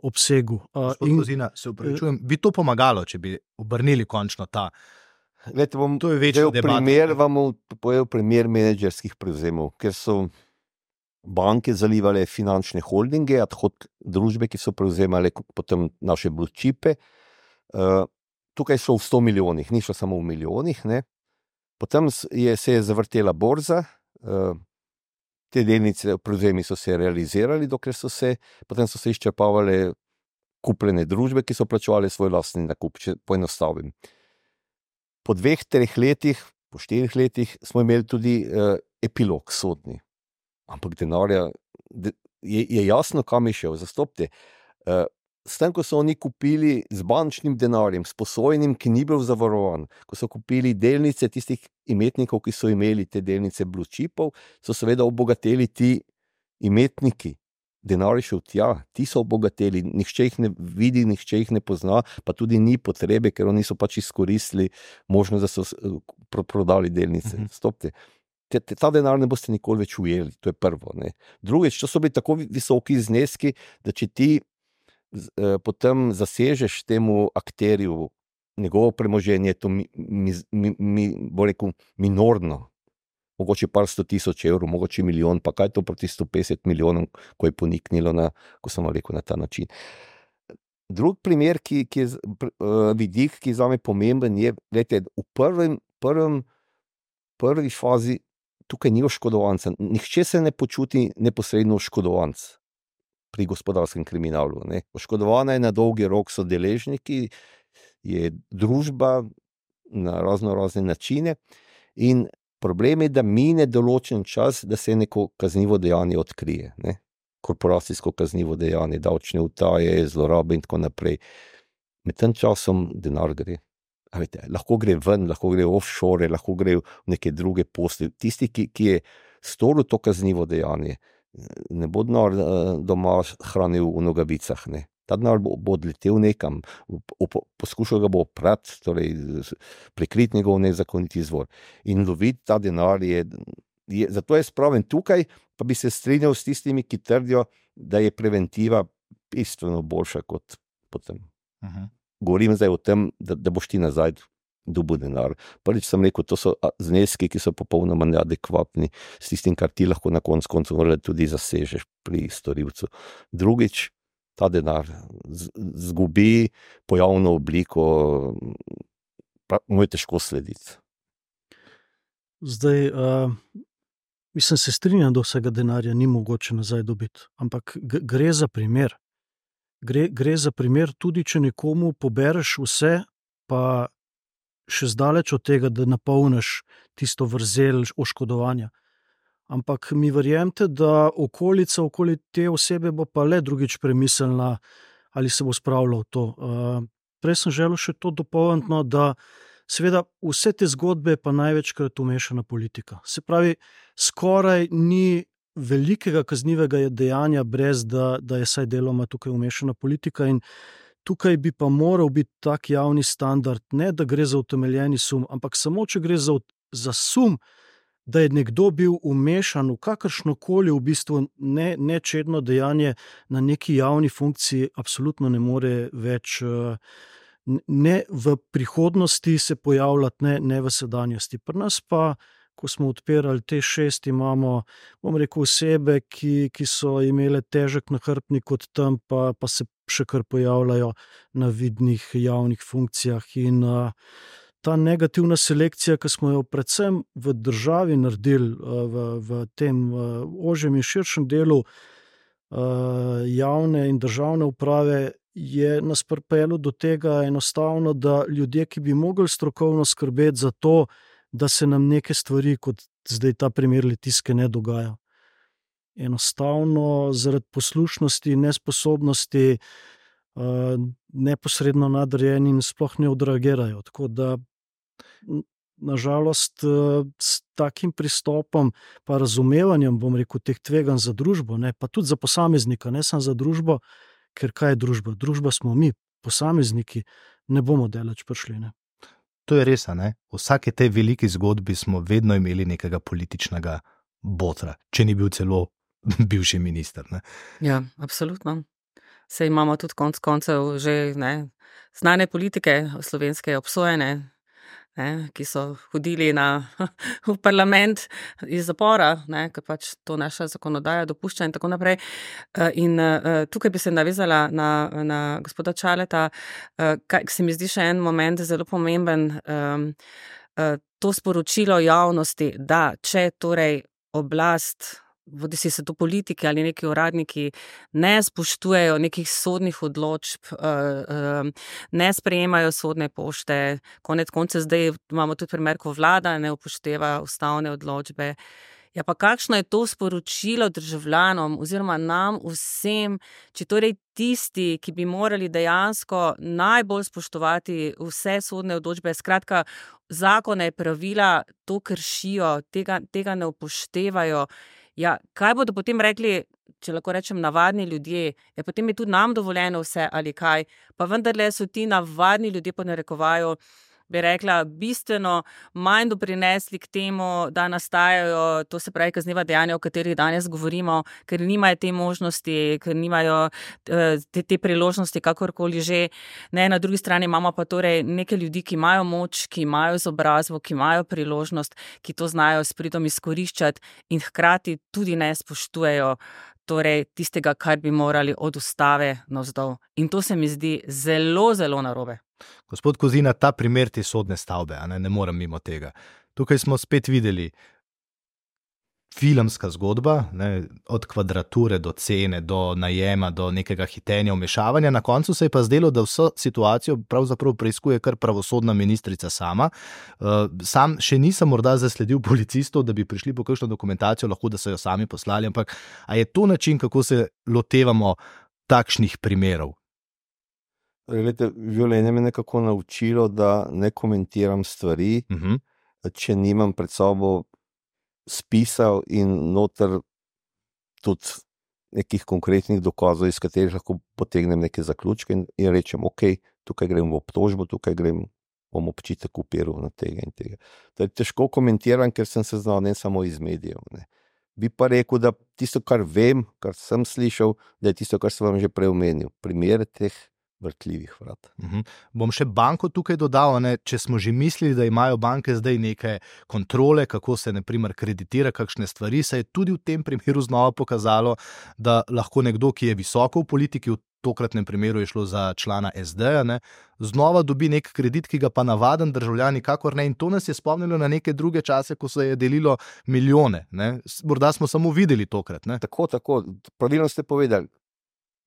obsegu. Gospod Kozina, se upravičujem, bi to pomagalo, če bi obrnili končno ta? Glede, to je večja debata. Vam povedal primer menedžerskih prevzemov, ker so banke zalivale finančne holdinge, ad hoc družbe, ki so prevzemale potem naše blue chipe. Tukaj so v 100 milijonih, ni šlo samo v milijonih. Ne. Potem se je zavrtela borza, te delnice, prevzemi so se realizirali, potem so se izčrpavale kupljene družbe, ki so plačevali svoj lastni nakup, če poenostavim. Po 2-3 letih, po 4 letih smo imeli tudi epilog sodni. Ampak denarja je jasno, kam je šel. Zastopite, s tem, ko so oni kupili z bančnim denarjem, s posojenim, ki ni bil zavarovan, ko so kupili delnice tistih imetnikov, ki so imeli te delnice blue chipov, so seveda obogateli ti imetniki. Denar je šel tja, ti so obogateli, nihče jih ne vidi, nihče jih ne pozna, pa tudi ni potrebe, ker oni so pač izkoristili možnost, da so prodali delnice. Zastopite. Ta denar ne boste nikoli več ujeli, to je prvo. Ne. Drugič, to so bili tako visoki zneski, da če ti potem zasežeš temu akterju njegovo premoženje, to bo rekel, minorno, mogoče par 100,000 evrov, mogoče milijon, pa kaj to proti 150 milijonom, ko je poniknilo ko sem rekel, na ta način. Drug primer, ki je vidik, ki je zame pomemben, je, gledajte, v prvi fazi tukaj ni oškodovanca. Nihče se ne počuti neposredno oškodovanc pri gospodarskem kriminalu. Ne. Oškodovana je na dolgi rok so deležniki, je družba na razne načine in problem je, da mine določen čas, da se neko kaznivo dejanje odkrije. Ne. Korporacijsko kaznivo dejanje, davčne utaje, zlorabe in tako naprej. Med tem časom denar gre. Lahko gre ven, lahko gre offshore, lahko gre v neke druge posle. Tisti, ki je storil to kaznivo dejanje, ne bo denar doma hranil v nogavicah. Ne. Ta denar bo odletel nekam, poskušal ga bo oprati, torej prikriti njegov nezakoniti izvor. In loviti ta denar zato je spraven tukaj, pa bi se strinjal s tistimi, ki trdijo, da je preventiva bistveno boljša kot potem. Govorim zdaj o tem, da boš ti nazaj dobil denar. Prvič sem rekel, to so zneski, ki so popolnoma neadekvatni s tistim, kar ti lahko na koncu tudi zasežeš pri storilcu. Drugič, ta denar zgubi pojavno obliko, mu je težko slediti. Zdaj, mislim, se strinjam, da vsega denarja ni mogoče nazaj dobiti, ampak gre za primer. Gre za primer tudi, če nekomu pobereš vse, pa še zdaleč od tega, da napolniš tisto vrzel oškodovanja. Ampak mi verjemite, da okolica okoli te osebe bo pa le drugič premislila, ali se bo spravila v to. Prej sem želel še to dopolniti, da seveda vse te zgodbe pa največkrat umešana politika. Se pravi, skoraj ni velikega kaznivega dejanja, brez da je saj deloma tukaj umešana politika in tukaj bi pa moral biti tak javni standard, ne da gre za utemeljeni sum, ampak samo, če gre za sum, da je nekdo bil umešan v kakršnokoli v bistvu nečedno dejanje na neki javni funkciji, absolutno ne more več ne v prihodnosti se pojavljati, ne v sedanjosti. Pri nas pa, ko smo odpirali te 6, imamo, bom rekel, osebe, ki so imele težek nahrbtnik od tam, pa se še kar pojavljajo na vidnih javnih funkcijah in ta negativna selekcija, ki smo jo predvsem v državi naredili, v tem ožjem in širšem delu javne in državne uprave, je nas pripeljalo do tega enostavno, da ljudje, ki bi mogli strokovno skrbeti za to, da se nam neke stvari, kot zdaj ta primer Litijske, ne dogaja. Enostavno zaradi poslušnosti, nesposobnosti, neposredno nadrejenim sploh ne odreagirajo. Tako da nažalost s takim pristopom pa razumevanjem, bom rekel, teh tveganj za družbo, ne, pa tudi za posameznika, ne samo za družbo, ker kaj je družba? Družba smo mi, posamezniki, ne bomo daleč prišli. Ne. To je res, ne? V vsaki tej veliki zgodbi smo vedno imeli nekega političnega botra, če ni bil celo bivši minister. Ne? Ja, absolutno. Saj imamo tudi konec koncev že znane politike slovenske obsojene, ki so hodili v parlament iz zapora, ker pač to naša zakonodaja dopušča in tako naprej. In tukaj bi se navezala na gospoda Čaleta, kaj se mi zdi še en moment zelo pomemben, to sporočilo javnosti, da če torej oblast, bodisi se to politiki ali neki uradniki, ne spoštujejo nekih sodnih odločb, ne sprejemajo sodne pošte, konec koncev zdaj imamo tudi primer, ko vlada ne upošteva ustavne odločbe. Ja, pa kakšno je to sporočilo državljanom oziroma nam vsem, če torej tisti, ki bi morali dejansko najbolj spoštovati vse sodne odločbe, skratka, zakone, pravila, to kršijo, tega ne upoštevajo. Ja, kaj bodo potem rekli, če lahko rečem, navadni ljudje? Ja, potem je tudi nam dovoljeno vse ali kaj, pa vendarle so ti navadni ljudje po narekovaju bi rekla, bistveno manj doprinesli k temu, da nastajajo, to se pravi kazniva dejanja, o katerih danes govorimo, ker nimajo te možnosti, ker nimajo te priložnosti, kakorkoli že. Ne, na drugi strani imamo pa torej nekaj ljudi, ki imajo moč, ki imajo izobrazbo, ki imajo priložnost, ki to znajo s pridom izkoriščati in hkrati tudi ne spoštujejo torej tistega, kar bi morali od ustave navzdol. In to se mi zdi zelo, zelo narobe. Gospod Kozina, ta primer te sodne stavbe, ne morem mimo tega. Tukaj smo spet videli filmska zgodba, od kvadrature do cene, do najema, do nekega hitenja, vmešavanja. Na koncu se je pa zdelo, da vso situacijo pravzaprav preiskuje kar pravosodna ministrica sama. Sam še nisem morda zasledil policistov, da bi prišli po kakšno dokumentacijo, lahko da so jo sami poslali, ampak a je to način, kako se lotevamo takšnih primerov? Glede, življenje me nekako naučilo, da ne komentiram stvari, če nimam pred sabo spisal in noter tudi nekih konkretnih dokazov, iz katerih lahko potegnem neke zaključke in rečem, ok, tukaj grem v obtožbo, tukaj grem bom občitek upiral na tega in tega. To je težko komentiram, ker sem se znal ne samo iz medijev. Bi pa rekel, da tisto, kar vem, kar sem slišal, da je tisto, kar sem vam že prej omenil. Primer teh vrtljivih vrat. Bom še banko tukaj dodal, če smo že mislili, da imajo banke zdaj neke kontrole, kako se naprimer kreditira kakšne stvari, se je tudi v tem primeru znova pokazalo, da lahko nekdo, ki je visoko v politiki, v tokratnem primeru je šlo za člana SD, znova dobi nek kredit, ki ga pa navaden državljan nikakor ne, in to nas je spomnilo na neke druge čase, ko se je delilo milijone. Morda smo samo videli tokrat. Tako, pravilno ste povedali,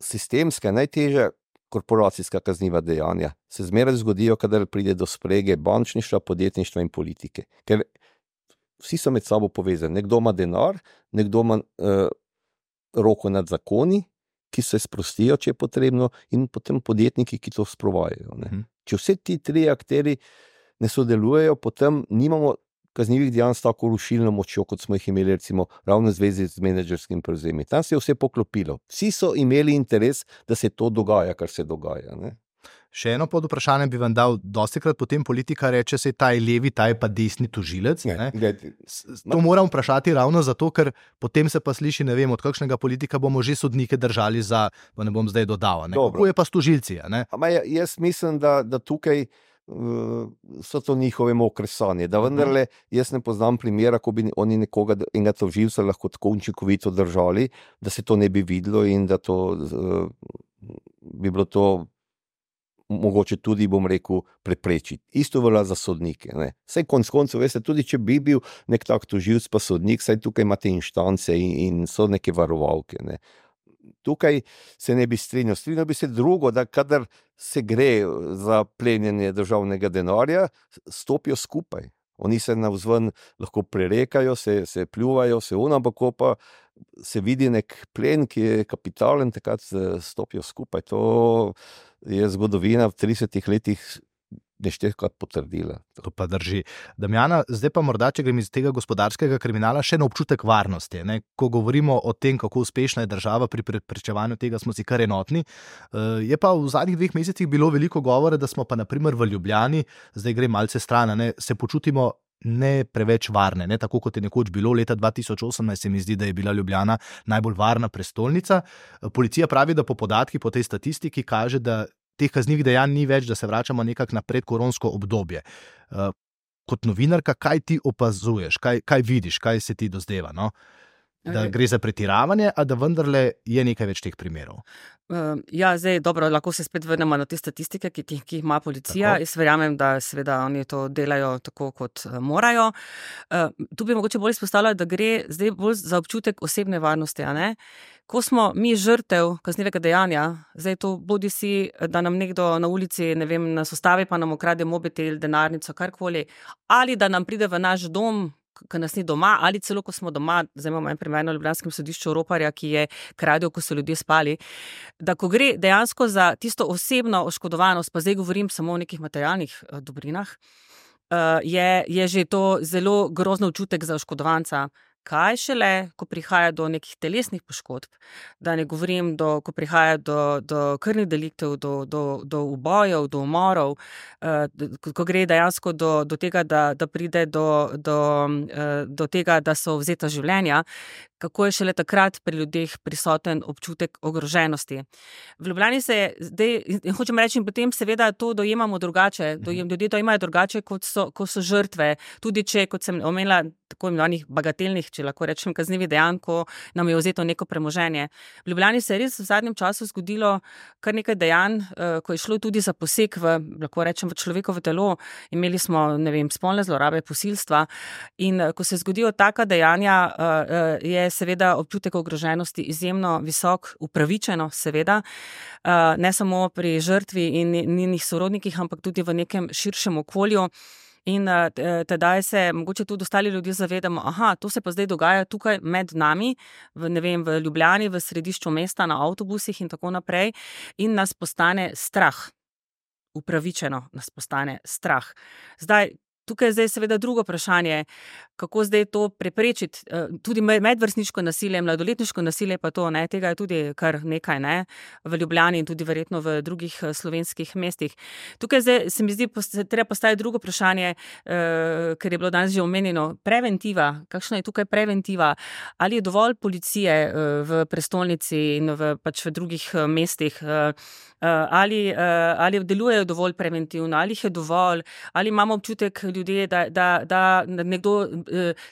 sistemska, najtežja korporacijska kazniva dejanja se zmeraj zgodijo, kadar pride do sprege bančništva, podjetništva in politike. Ker vsi so med sabo povezani. Nekdo ima denar, nekdo ima roko nad zakoni, ki se sprostijo, če je potrebno, in potem podjetniki, ki to sprovajajo. Če vse ti tri akteri ne sodelujejo, potem nimamo kaznivih dejanj s tako rušilno močjo, kot smo jih imeli recimo ravno v zvezi z menedžerskim prevzemi. Tam se je vse poklopilo. Vsi so imeli interes, da se to dogaja, kar se dogaja. Še eno pod vprašanje bi vam dal, dostikrat potem politika reče, se ta je levi, ta je pa desni tožilec. To moram vprašati ravno zato, ker potem se pa sliši, ne vem, od kakšnega politika bomo že sodnike držali za, pa ne bom zdaj dodal, kako je pa s tožilci? Jaz mislim, da tukaj so to njihove mokre sanje, da vendarle jaz ne poznam primera, ko bi oni nekoga, enega tožilca lahko tako učinkovito držali, da se to ne bi videlo in da to bi bilo to mogoče tudi, bom rekel, preprečiti. Isto velja za sodnike. Saj konec koncev, veste, tudi če bi bil nek tak tožilc pa sodnik, saj tukaj imate inštance in so neke varovalke. Tukaj se ne bi strinjal. Strinjal bi se drugo, da kadar se gre za plenjenje državnega denarja, stopijo skupaj. Oni se navzven lahko prerekajo, se pljuvajo, ampak ko pa se vidi nek plen, ki je kapitalen, takrat stopijo skupaj. To je zgodovina v 30 letih neštetkrat potrdila. To pa drži. Damjana, zdaj pa morda, če grem iz tega gospodarskega kriminala, še na občutek varnosti. Ko govorimo o tem, kako uspešna je država pri preprečevanju tega, smo si kar enotni. Je pa v zadnjih 2 mesecih bilo veliko govora, da smo pa naprimer v Ljubljani, zdaj gre malce stran, se počutimo ne preveč varne, tako kot je nekoč bilo. Leta 2018 se mi zdi, da je bila Ljubljana najbolj varna prestolnica. Policija pravi, da po podatkih, po tej statistiki kaže, da teh kaznivih dejanj ni več, da se vračamo nekako na predkoronsko obdobje. Kot novinarka, kaj ti opazuješ, kaj vidiš, kaj se ti dozdeva? Da gre za pretiravanje, a da vendarle je nekaj več teh primerov? Zdaj, dobro, lahko se spet vrnemo na te statistike, ki jih ima policija. Tako. Jaz verjamem, da seveda oni to delajo tako, kot morajo. Tu bi mogoče bolj izpostavljala, da gre zdaj bolj za občutek osebne varnosti, Ko smo mi žrtev kaznivega dejanja, zdaj to bodi si, da nam nekdo na ulici, ne vem, nas ustavi, pa nam ukrade mobitel, denarnico, karkoli, ali da nam pride v naš dom, ko nas ni doma, ali celo, ko smo doma, zdaj imamo en primer na ljubljanskem sodišču roparja, ki je kradel, ko so ljudje spali, da ko gre dejansko za tisto osebno oškodovanost, pa zdaj govorim samo o nekih materialnih dobrinah, je že to zelo grozno občutek za oškodovanca, Kaj šele, ko prihaja do nekih telesnih poškodb, da ne govorim, ko prihaja do krvnih deliktov, do ubojev, do umorov, ko gre dejansko do tega, da pride do tega, da so vzeta življenja, kako je šele takrat pri ljudeh prisoten občutek ogroženosti. V Ljubljani se je zdaj, in hočem reči, in potem seveda to dojemamo drugače, ljudje dojemajo drugače, ko so žrtve, tudi če, kot sem omenila, tako imenovanih bagatelnih, če lahko rečem, kaznivih dejanj, ko nam je vzeto neko premoženje. V Ljubljani se je res v zadnjem času zgodilo kar nekaj dejanj, ko je šlo tudi za poseg lahko rečem, v človekovo telo. Imeli smo, spolne zlorabe, posilstva, in ko se zgodijo taka dejanja, je seveda občutek ogroženosti izjemno visok, upravičeno seveda, ne samo pri žrtvi in njenih sorodnikih, ampak tudi v nekem širšem okolju. In tedaj se mogoče tudi ostali ljudje zavedamo, to se pa zdaj dogaja tukaj med nami, v Ljubljani, v središču mesta, na avtobusih in tako naprej, in nas postane strah. Upravičeno nas postane strah. Tukaj je zdaj seveda drugo vprašanje, kako zdaj to preprečiti, tudi medvrstniško nasilje, mladoletniško nasilje, pa to, tega je tudi kar nekaj, v Ljubljani in tudi verjetno v drugih slovenskih mestih. Tukaj zdaj se mi zdi, treba postaviti drugo vprašanje, ker je bilo danes že omenjeno, preventiva, kakšna je tukaj preventiva, ali je dovolj policije v prestolnici in v drugih mestih, ali delujejo dovolj preventivno, ali jih je dovolj, ali imamo občutek ljudje, da nekdo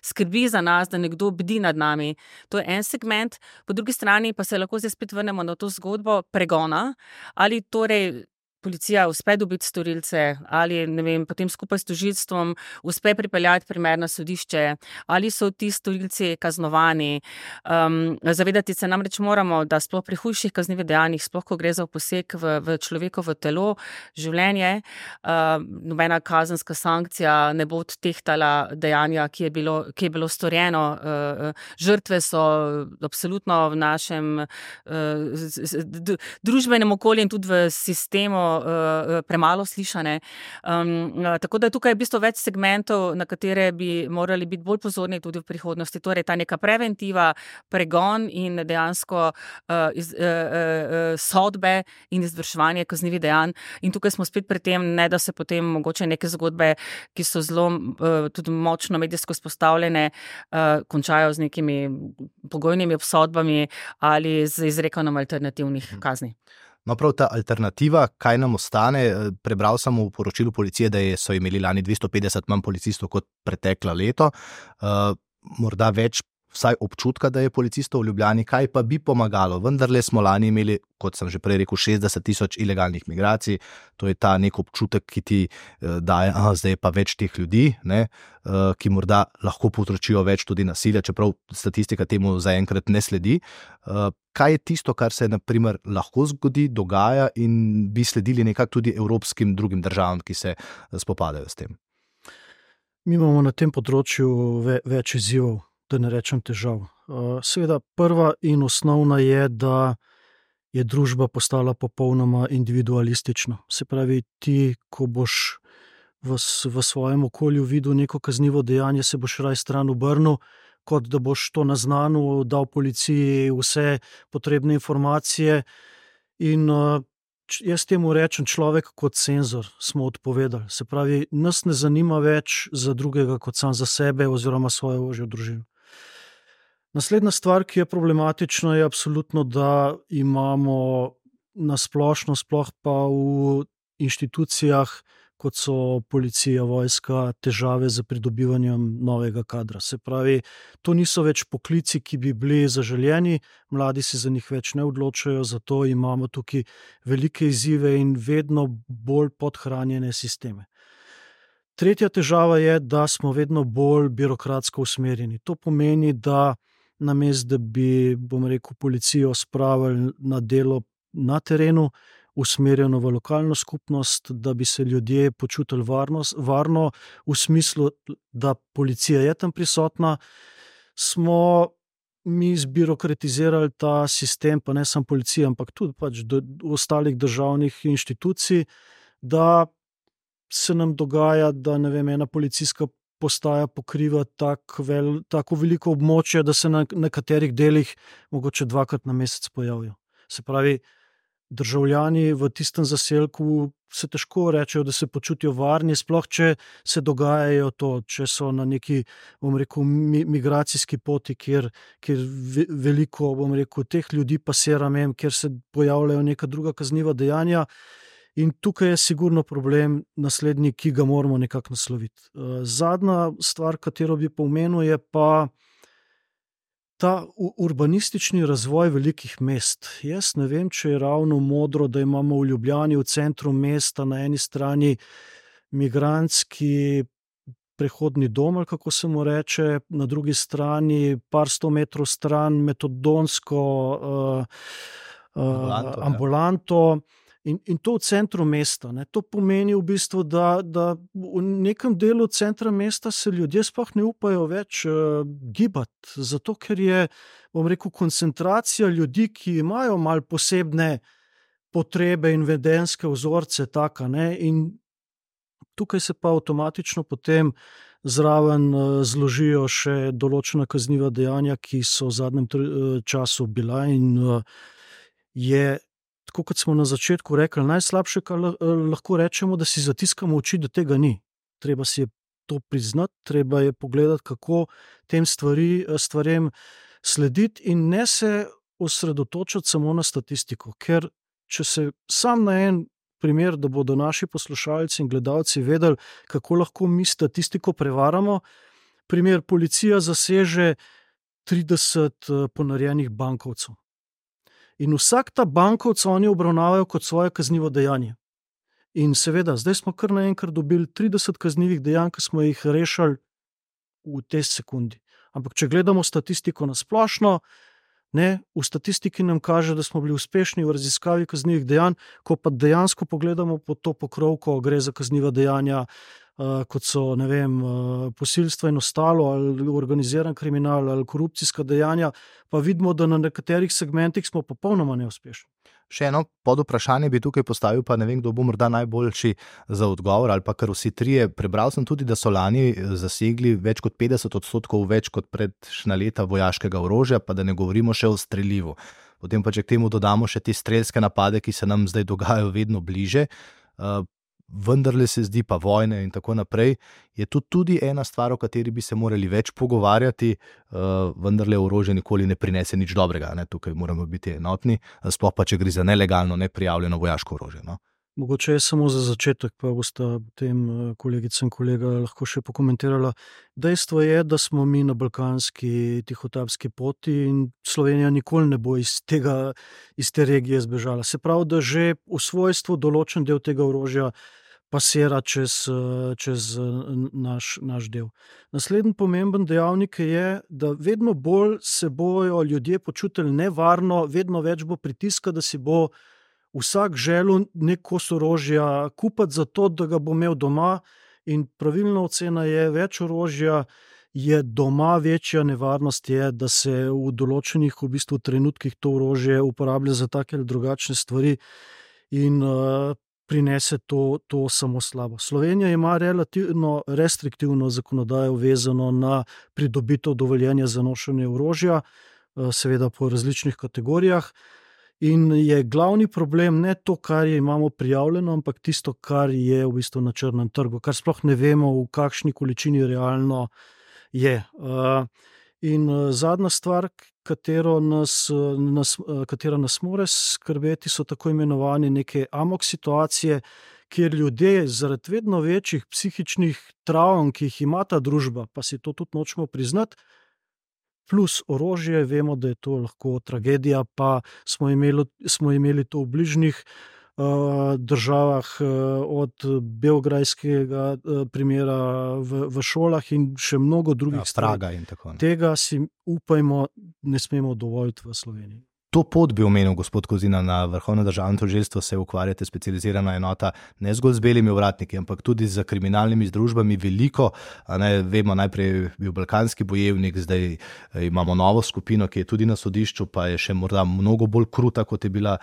skrbi za nas, da nekdo bdi nad nami. To je en segment, po drugi strani pa se lahko zdaj spet vrnemo na to zgodbo pregona, ali torej policija uspe dobiti storilce, ali potem skupaj s tožilstvom uspe pripeljati primer na sodišče, ali so ti storilci kaznovani. Zavedati se namreč moramo, da sploh pri hujših kaznivih dejanjih, sploh ko gre za poseg v človekovo telo, življenje, nobena kazenska sankcija ne bo odtehtala dejanja, ki je bilo storjeno. Žrtve so absolutno v našem družbenem okolju in tudi v sistemu premalo slišane. Tako da tukaj je v bistvu več segmentov, na katere bi morali biti bolj pozorni tudi v prihodnosti. Torej, ta neka preventiva, pregon in dejansko sodbe in izvrševanje kaznivih dejanj. In tukaj smo spet pri tem, ne da se potem mogoče neke zgodbe, ki so zelo tudi močno medijsko izpostavljene, končajo z nekimi pogojnimi obsodbami ali z izrekanjem alternativnih kazni. No, prav ta alternativa, kaj nam ostane? Prebral sem v poročilu policije, da so imeli lani 250 manj policistov kot preteklo leto. Morda več vsaj občutka, da je policistov v Ljubljani, kaj pa bi pomagalo. Vendarle smo lani imeli, kot sem že prej rekel, 60,000 ilegalnih migracij. To je ta nek občutek, ki ti daje, zdaj je pa več teh ljudi, ki morda lahko povzročijo več tudi nasilja, čeprav statistika temu zaenkrat ne sledi. Kaj je tisto, kar se naprimer lahko zgodi, dogaja in bi sledili nekako tudi evropskim drugim državam, ki se spopadajo s tem? Mi imamo na tem področju več izzivov, da ne rečem težav. Seveda prva in osnovna je, da je družba postala popolnoma individualistična. Se pravi, ti, ko boš v svojem okolju videl neko kaznivo dejanje, se boš raje stran obrnil, kot da boš to naznanil, dal policiji vse potrebne informacije. In jaz temu rečem, človek kot senzor smo odpovedali. Se pravi, nas ne zanima več za drugega kot sam za sebe oziroma svojo ožjo družino. Naslednja stvar, ki je problematična, je absolutno, da imamo na splošno, sploh pa v inštitucijah, kot so policija, vojska, težave z pridobivanjem novega kadra. Se pravi, to niso več poklici, ki bi bili zaželjeni, mladi se za njih več ne odločajo, zato imamo tukaj velike izzive in vedno bolj podhranjene sisteme. Tretja težava je, da smo vedno bolj birokratsko usmerjeni. To pomeni, da namesto da bi, policijo spravili na delo na terenu, usmerjeno v lokalno skupnost, da bi se ljudje počutili varno v smislu, da policija je tam prisotna, smo mi zbirokratizirali ta sistem, pa ne samo policija, ampak tudi ostalih državnih inštitucij, da se nam dogaja, da ena policijska postaja pokriva tako veliko območje, da se na nekaterih delih mogoče 2-krat na mesec pojavijo. Se pravi, državljani v tistem zaselku se težko rečejo, da se počutijo varni, sploh če se dogajajo to, če so na neki, migracijski poti, kjer veliko, teh ljudi pasira mem, kjer se pojavljajo neka druga kazniva dejanja. In tukaj je sigurno problem naslednji, ki ga moramo nekako nasloviti. Zadnja stvar, katero bi pomenil, je pa ta urbanistični razvoj velikih mest. Jaz ne vem, če je ravno modro, da imamo v Ljubljani, v centru mesta, na eni strani migrantski prehodni dom, ali kako se mu reče, na drugi strani par 100 metrov stran metadonsko ambulanto. In to v centru mesta. Ne. To pomeni v bistvu, da v nekem delu centra mesta se ljudje sploh ne upajo več gibati, zato ker je, koncentracija ljudi, ki imajo malo posebne potrebe in vedenjske vzorce taka, ne. In tukaj se pa avtomatično potem zraven zložijo še določena kazniva dejanja, ki so v zadnjem času bila in je, tako kot smo na začetku rekli, najslabše, kar lahko rečemo, da si zatiskamo oči, da tega ni. Treba si je to priznati, treba je pogledati, kako tem stvarem slediti in ne se osredotočati samo na statistiko, ker če se sam na en primer, da bodo naši poslušalci in gledalci vedeli, kako lahko mi statistiko prevaramo, primer, policija zaseže 30 ponarejenih bankovcev. In vsak ta bankovec oni obravnavajo kot svoje kaznivo dejanje. In seveda, zdaj smo kar naenkrat dobili 30 kaznivih dejanj, ki smo jih rešili v tej sekundi. Ampak če gledamo statistiko na splošno, ne, v statistiki nam kaže, da smo bili uspešni v raziskavi kaznivih dejanj, ko pa dejansko pogledamo pod to pokrovko, gre za kazniva dejanja, kot so, ne vem, posilstva in ostalo, ali organiziran kriminal, ali korupcijska dejanja, pa vidimo, da na nekaterih segmentih smo popolnoma neuspešni. Še eno podvprašanje bi tukaj postavil, pa ne vem, kdo bo morda najboljši za odgovor, ali pa kar vsi trije. Prebral sem tudi, da so lani zasegli več kot 50% več kot prejšnja leta vojaškega orožja, pa da ne govorimo še o strelivu. Potem pa če k temu dodamo še te strelske napade, ki se nam zdaj dogajajo vedno bliže, vendarle se zdi pa vojne in tako naprej, je to tudi ena stvar, o kateri bi se morali več pogovarjati, vendarle orožje nikoli ne prinese nič dobrega, ne? Tukaj moramo biti enotni, sploh pa če gre za nelegalno, neprijavljeno vojaško orožje. No? Mogoče je samo za začetek, pa bosta potem kolegica in kolega lahko še pokomentirala. Dejstvo je, da smo mi na balkanski tihotapski poti in Slovenija nikoli ne bo iz te regije zbežala. Se pravi, da že v svojstvu določen del tega orožja pasira čez naš del. Naslednji pomemben dejavnik je, da vedno bolj se bojo ljudje počutili nevarno, vedno več bo pritiska, da si bo vsak želel nek kos orožja kupiti zato, da ga bo imel doma, in pravilna ocena je, več orožja je doma, večja nevarnost je, da se v določenih v bistvu trenutkih to orožje uporablja za take ali drugačne stvari in prinese to samo slabo. Slovenija ima relativno restriktivno zakonodajo vezano na pridobitev dovoljenja za nošenje orožja, seveda po različnih kategorijah. In je glavni problem ne to, kar imamo prijavljeno, ampak tisto, kar je v bistvu na črnem trgu, kar sploh ne vemo, v kakšni količini realno je. In zadnja stvar, katera nas more skrbeti, so tako imenovane neke amok situacije, kjer ljudje zaradi vedno večjih psihičnih travm, ki jih ima ta družba, pa si to tudi nočemo priznati, plus orožje, vemo, da je to lahko tragedija, pa smo imeli to v bližnjih državah, od beograjskega primera v šolah in še mnogo drugih Praga in tako naprej. Tega si upajmo, ne smemo dovoliti v Sloveniji. To pot bi omenil gospod Kozina, na Vrhovno državno tožilstvo se ukvarjate specializirana enota ne zgolj z belimi ovratniki, ampak tudi z kriminalnimi združbami veliko. Vemo, najprej je bil Balkanski bojevnik, zdaj imamo novo skupino, ki je tudi na sodišču, pa je še morda mnogo bolj kruta, kot je bila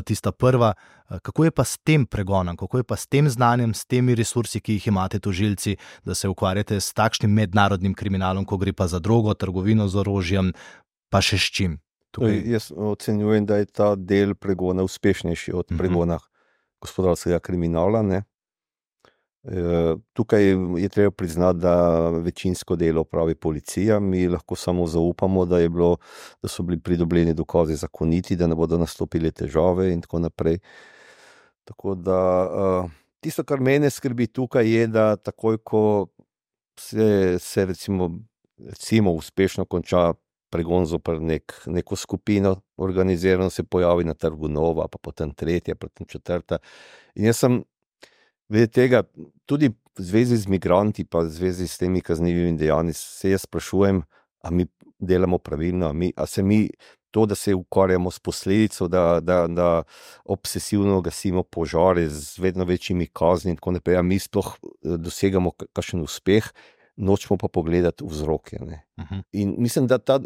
tista prva. Kako je pa s tem pregonom, kako je pa s tem znanjem, s temi resursi, ki jih imate tožilci, da se ukvarjate s takšnim mednarodnim kriminalom, ko gre pa za drogo, trgovino z orožjem, pa še s čim? Jaz ocenjujem, da je ta del pregona uspešnejši od pregona gospodarskega kriminala. Ne? Tukaj je treba priznati, da večinsko delo pravi policija. Mi lahko samo zaupamo, da so bili pridobljeni dokazi zakoniti, da ne bodo nastopile težave in tako naprej. Tako da tisto, kar mene skrbi tukaj, je, da takoj, ko se recimo uspešno konča pregon zoper neko skupino, organizirano se pojavi na trgu nova, pa potem tretja, potem četrta. In jaz sem glede tega, tudi v zvezi z migranti, pa v zvezi s temi kaznivimi dejanji, se jaz sprašujem, a mi delamo pravilno, a se mi to, da se ukvarjamo s posledico, da obsesivno gasimo požare z vedno večjimi kazni in tako naprej, a mi sploh dosegamo kakšen uspeh, nočemo pa pogledati vzroke. Ne. In mislim, da ta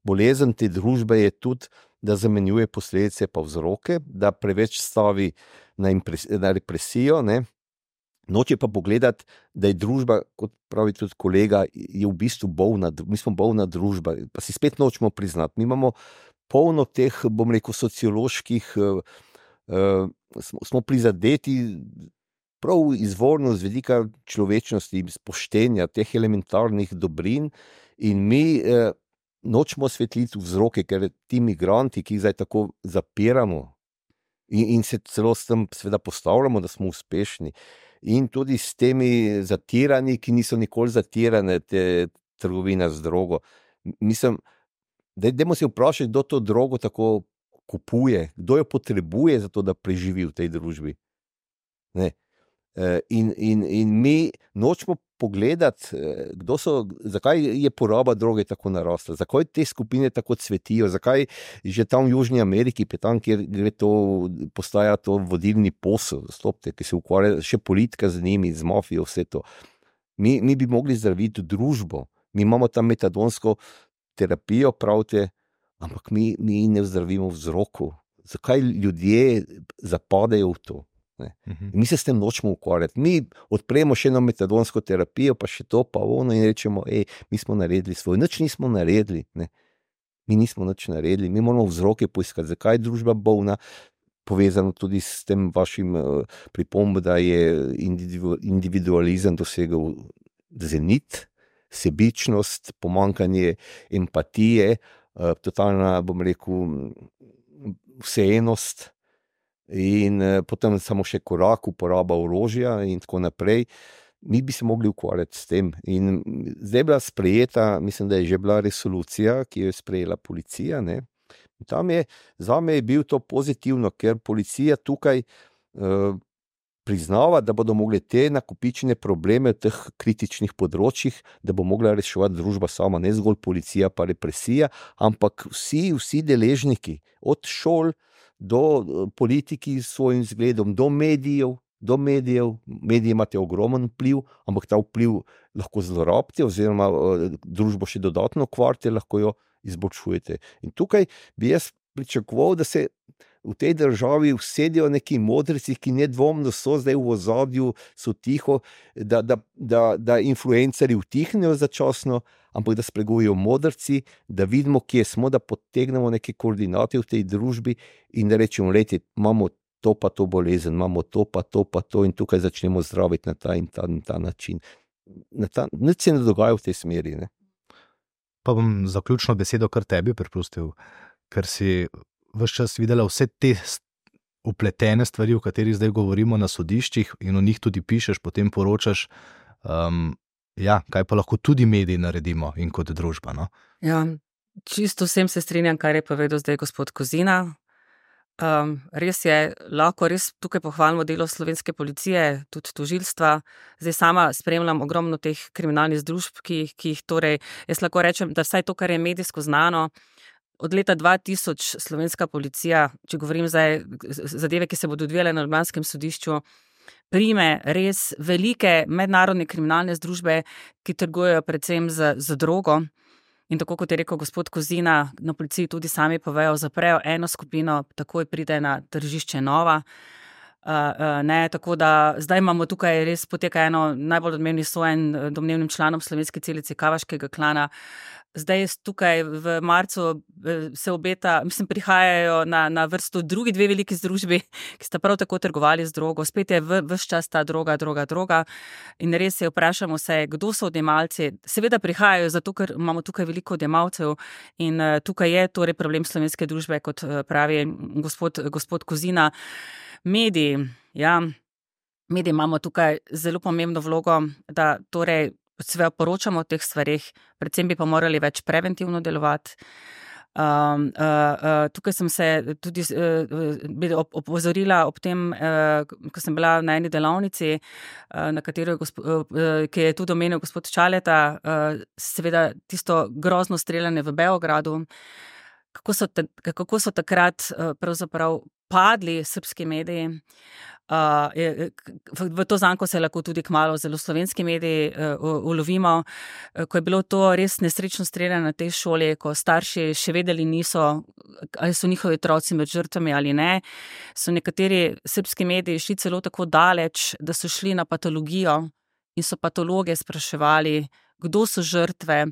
bolezen te družbe je tudi, da zamenjuje posledice pa vzroke, da preveč stavi na represijo, ne. Noče pa pogledati, da je družba, kot pravi tudi kolega, je v bistvu bolna, mi smo bolna družba, pa si spet nočemo priznati. Mi imamo polno teh, bom rekel, socioloških, smo prizadeti prav izvorno z vidika človečnosti, spoštenja, teh elementarnih dobrin in mi nočemo osvetliti vzroke, ker ti migranti, ki jih zdaj tako zapiramo in se celo s tem seveda postavljamo, da smo uspešni, in tudi s temi zatiranji, ki niso nikoli zatirane, te trgovine z drogo. Mislim, dajmo se vprašati, kdo to drogo tako kupuje, kdo jo potrebuje za to, da preživi v tej družbi. Ne. In mi nočemo pogledati, zakaj je poraba droge tako narasla, zakaj te skupine tako cvetijo, zakaj že tam v Južni Ameriki, tam, kjer postaja to vodilni posel, ki se ukvarja še politika z njimi, z mafijo, vse to. Mi bi mogli zdraviti družbo, mi imamo tam metadonsko terapijo, pravite, ampak mi ne zdravimo vzroku. Zakaj ljudje zapadejo v to? Mi se s tem nočemo ukvarjati. Mi odpremo še eno metadonsko terapijo, pa še to, pa ono in rečemo, mi smo naredili svoj. Nič nismo naredili. Ne. Mi nismo nič naredili. Mi moramo vzroke poiskati, zakaj je družba bolna, povezano tudi s tem vašim pripombo, da je individualizem dosegel zenit, sebičnost, pomanjkanje empatije, totalna, bom rekel, vseenost, in potem samo še korak, uporaba orožja in tako naprej. Mi bi se mogli ukvarjati s tem. In zdaj je bila sprejeta, mislim, da je že bila resolucija, ki jo je sprejela policija. Ne? Tam zame je bil to pozitivno, ker policija tukaj priznava, da bodo mogli te nakopičene probleme v teh kritičnih področjih, da bo mogla reševati družba sama, ne zgolj policija pa represija, ampak vsi deležniki, od šol do politiki s svojim zgledom, do medijev. Mediji imate ogromen vpliv, ampak ta vpliv lahko zlorabite oziroma družbo še dodatno kvarite, lahko jo izboljšujete. In tukaj bi jaz pričakoval, da se v tej državi usedijo neki modreci, ki nedvomno so zdaj v ozadju, so tiho, da influencerji utihnejo začasno, ampak da spregovijo modrci, da vidimo, kje smo, da potegnemo neke koordinate v tej družbi in da rečemo, imamo to pa to bolezen, imamo to pa to in tukaj začnemo zdraviti na ta in ta način. Nič se ne dogaja v tej smeri. Ne? Pa bom zaključno besedo kar tebi prepustil, ker si ves čas videla vse te upletene stvari, o katerih zdaj govorimo na sodiščih in o njih tudi pišeš, potem poročaš. Kaj pa lahko tudi mediji naredimo in kot družba? No? Ja, čisto vsem se strinjam, kar je povedal zdaj gospod Kozina. Res je, lahko res tukaj pohvalimo delo slovenske policije, tudi tožilstva. Zdaj sama spremljam ogromno teh kriminalnih združb, ki jih torej, jaz lahko rečem, da vsaj to, kar je medijsko znano, od leta 2000 slovenska policija, če govorim zdaj zadeve, ki se bodo odvijale na ljubljanskem sodišču, prime res velike mednarodne kriminalne združbe, ki trgujejo predvsem z drogo. In tako kot je rekel gospod Kozina, na policiji tudi sami povejo, zaprejo eno skupino, takoj pride na tržišče nova. Tako da zdaj imamo tukaj res poteka eno najbolj odmevnih sojenj domnevnim članom slovenske celice Kavaškega klana. Zdaj tukaj v marcu se obeta, prihajajo na vrsto drugi dve veliki združbi, ki sta prav tako trgovali z drogo. Spet je ves čas ta droga. In res se vprašamo se, kdo so odjemalci. Seveda prihajajo zato, ker imamo tukaj veliko odjemalcev in tukaj je torej problem slovenske družbe, kot pravi gospod Kozina. Mediji imamo tukaj zelo pomembno vlogo, da torej seveda poročamo o teh stvarih, predvsem bi pa morali več preventivno delovati. Tukaj sem se tudi opozorila ob tem, ko sem bila na eni delavnici, na katero ki je tudi omenil gospod Čaleta, seveda tisto grozno streljanje v Beogradu, kako so takrat pravzaprav padli srbski mediji. V to zanko se lahko tudi kmalu zelo slovenski mediji ulovimo, ko je bilo to res nesrečno streljanje na tej šoli, ko starši še vedeli niso, ali so njihovi otroci med žrtvami ali ne, so nekateri srbski mediji šli celo tako daleč, da so šli na patologijo in so patologe spraševali, kdo so žrtve,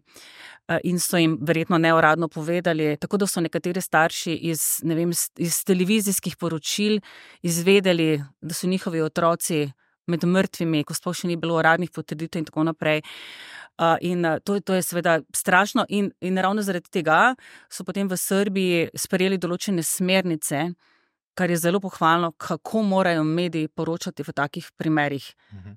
in so jim verjetno neuradno povedali, tako da so nekateri starši iz televizijskih poročil izvedeli, da so njihovi otroci med mrtvimi, ko sploh še ni bilo uradnih potrditev in tako naprej. In to je seveda strašno in ravno zaradi tega so potem v Srbiji sprejeli določene smernice, kar je zelo pohvalno, kako morajo mediji poročati v takih primerih.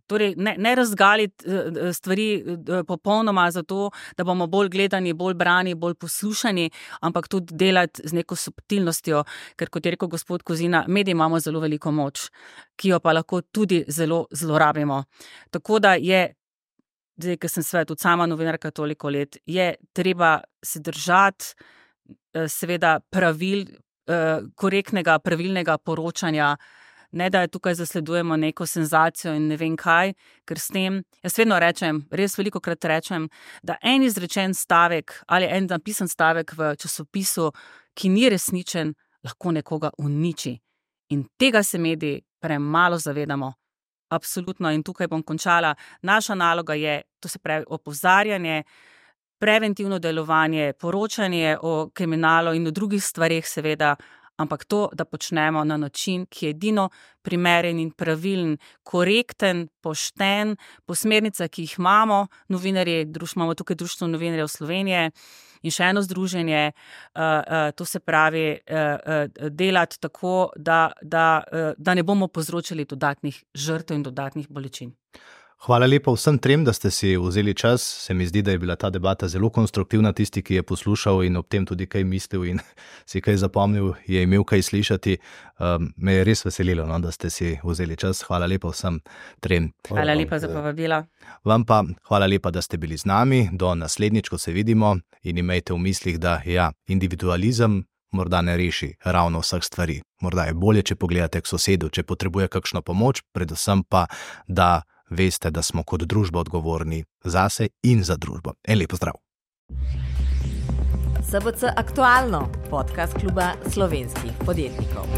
Torej, ne razgaliti stvari popolnoma zato, da bomo bolj gledani, bolj brani, bolj poslušani, ampak tudi delati z neko subtilnostjo, ker kot je rekel gospod Kozina, mediji imamo zelo veliko moč, ki jo pa lahko tudi zelo zlorabimo. Tako da je, zdaj, ker sem seveda tudi sama novinarka toliko let, je treba se držati seveda pravil, korektnega, pravilnega poročanja, ne da tukaj zasledujemo neko senzacijo in ne vem kaj, ker s tem, jaz vedno rečem, res velikokrat rečem, da en izrečen stavek ali en napisan stavek v časopisu, ki ni resničen, lahko nekoga uniči. In tega se mediji premalo zavedamo. Absolutno, in tukaj bom končala. Naša naloga je, to se pravi opozarjanje, preventivno delovanje, poročanje o kriminalu in o drugih stvareh seveda, ampak to, da počnemo na način, ki je edino primeren in pravilen, korekten, pošten, po smernicah, ki jih imamo, novinarji, imamo tukaj Društvo novinarjev Slovenije in še eno združenje, to se pravi delati tako, da ne bomo povzročili dodatnih žrtev in dodatnih bolečin. Hvala lepa vsem trem, da ste si vzeli čas. Se mi zdi, da je bila ta debata zelo konstruktivna. Tisti, ki je poslušal in ob tem tudi kaj mislil in si kaj zapomnil, je imel kaj slišati. Me je res veselilo, da ste si vzeli čas. Hvala lepa vsem trem. Hvala lepa za povabila. Vam pa hvala lepa, da ste bili z nami. Do naslednjič, ko se vidimo, in imejte v mislih, da individualizem morda ne reši ravno vseh stvari. Morda je bolje, če pogledate k sosedu, če potrebuje kakšno pomoč, predvsem pa, da veste, da smo kot družba odgovorni zase in za družbo. En lep pozdrav. SBC Aktualno, podcast kluba slovenskih podjetnikov.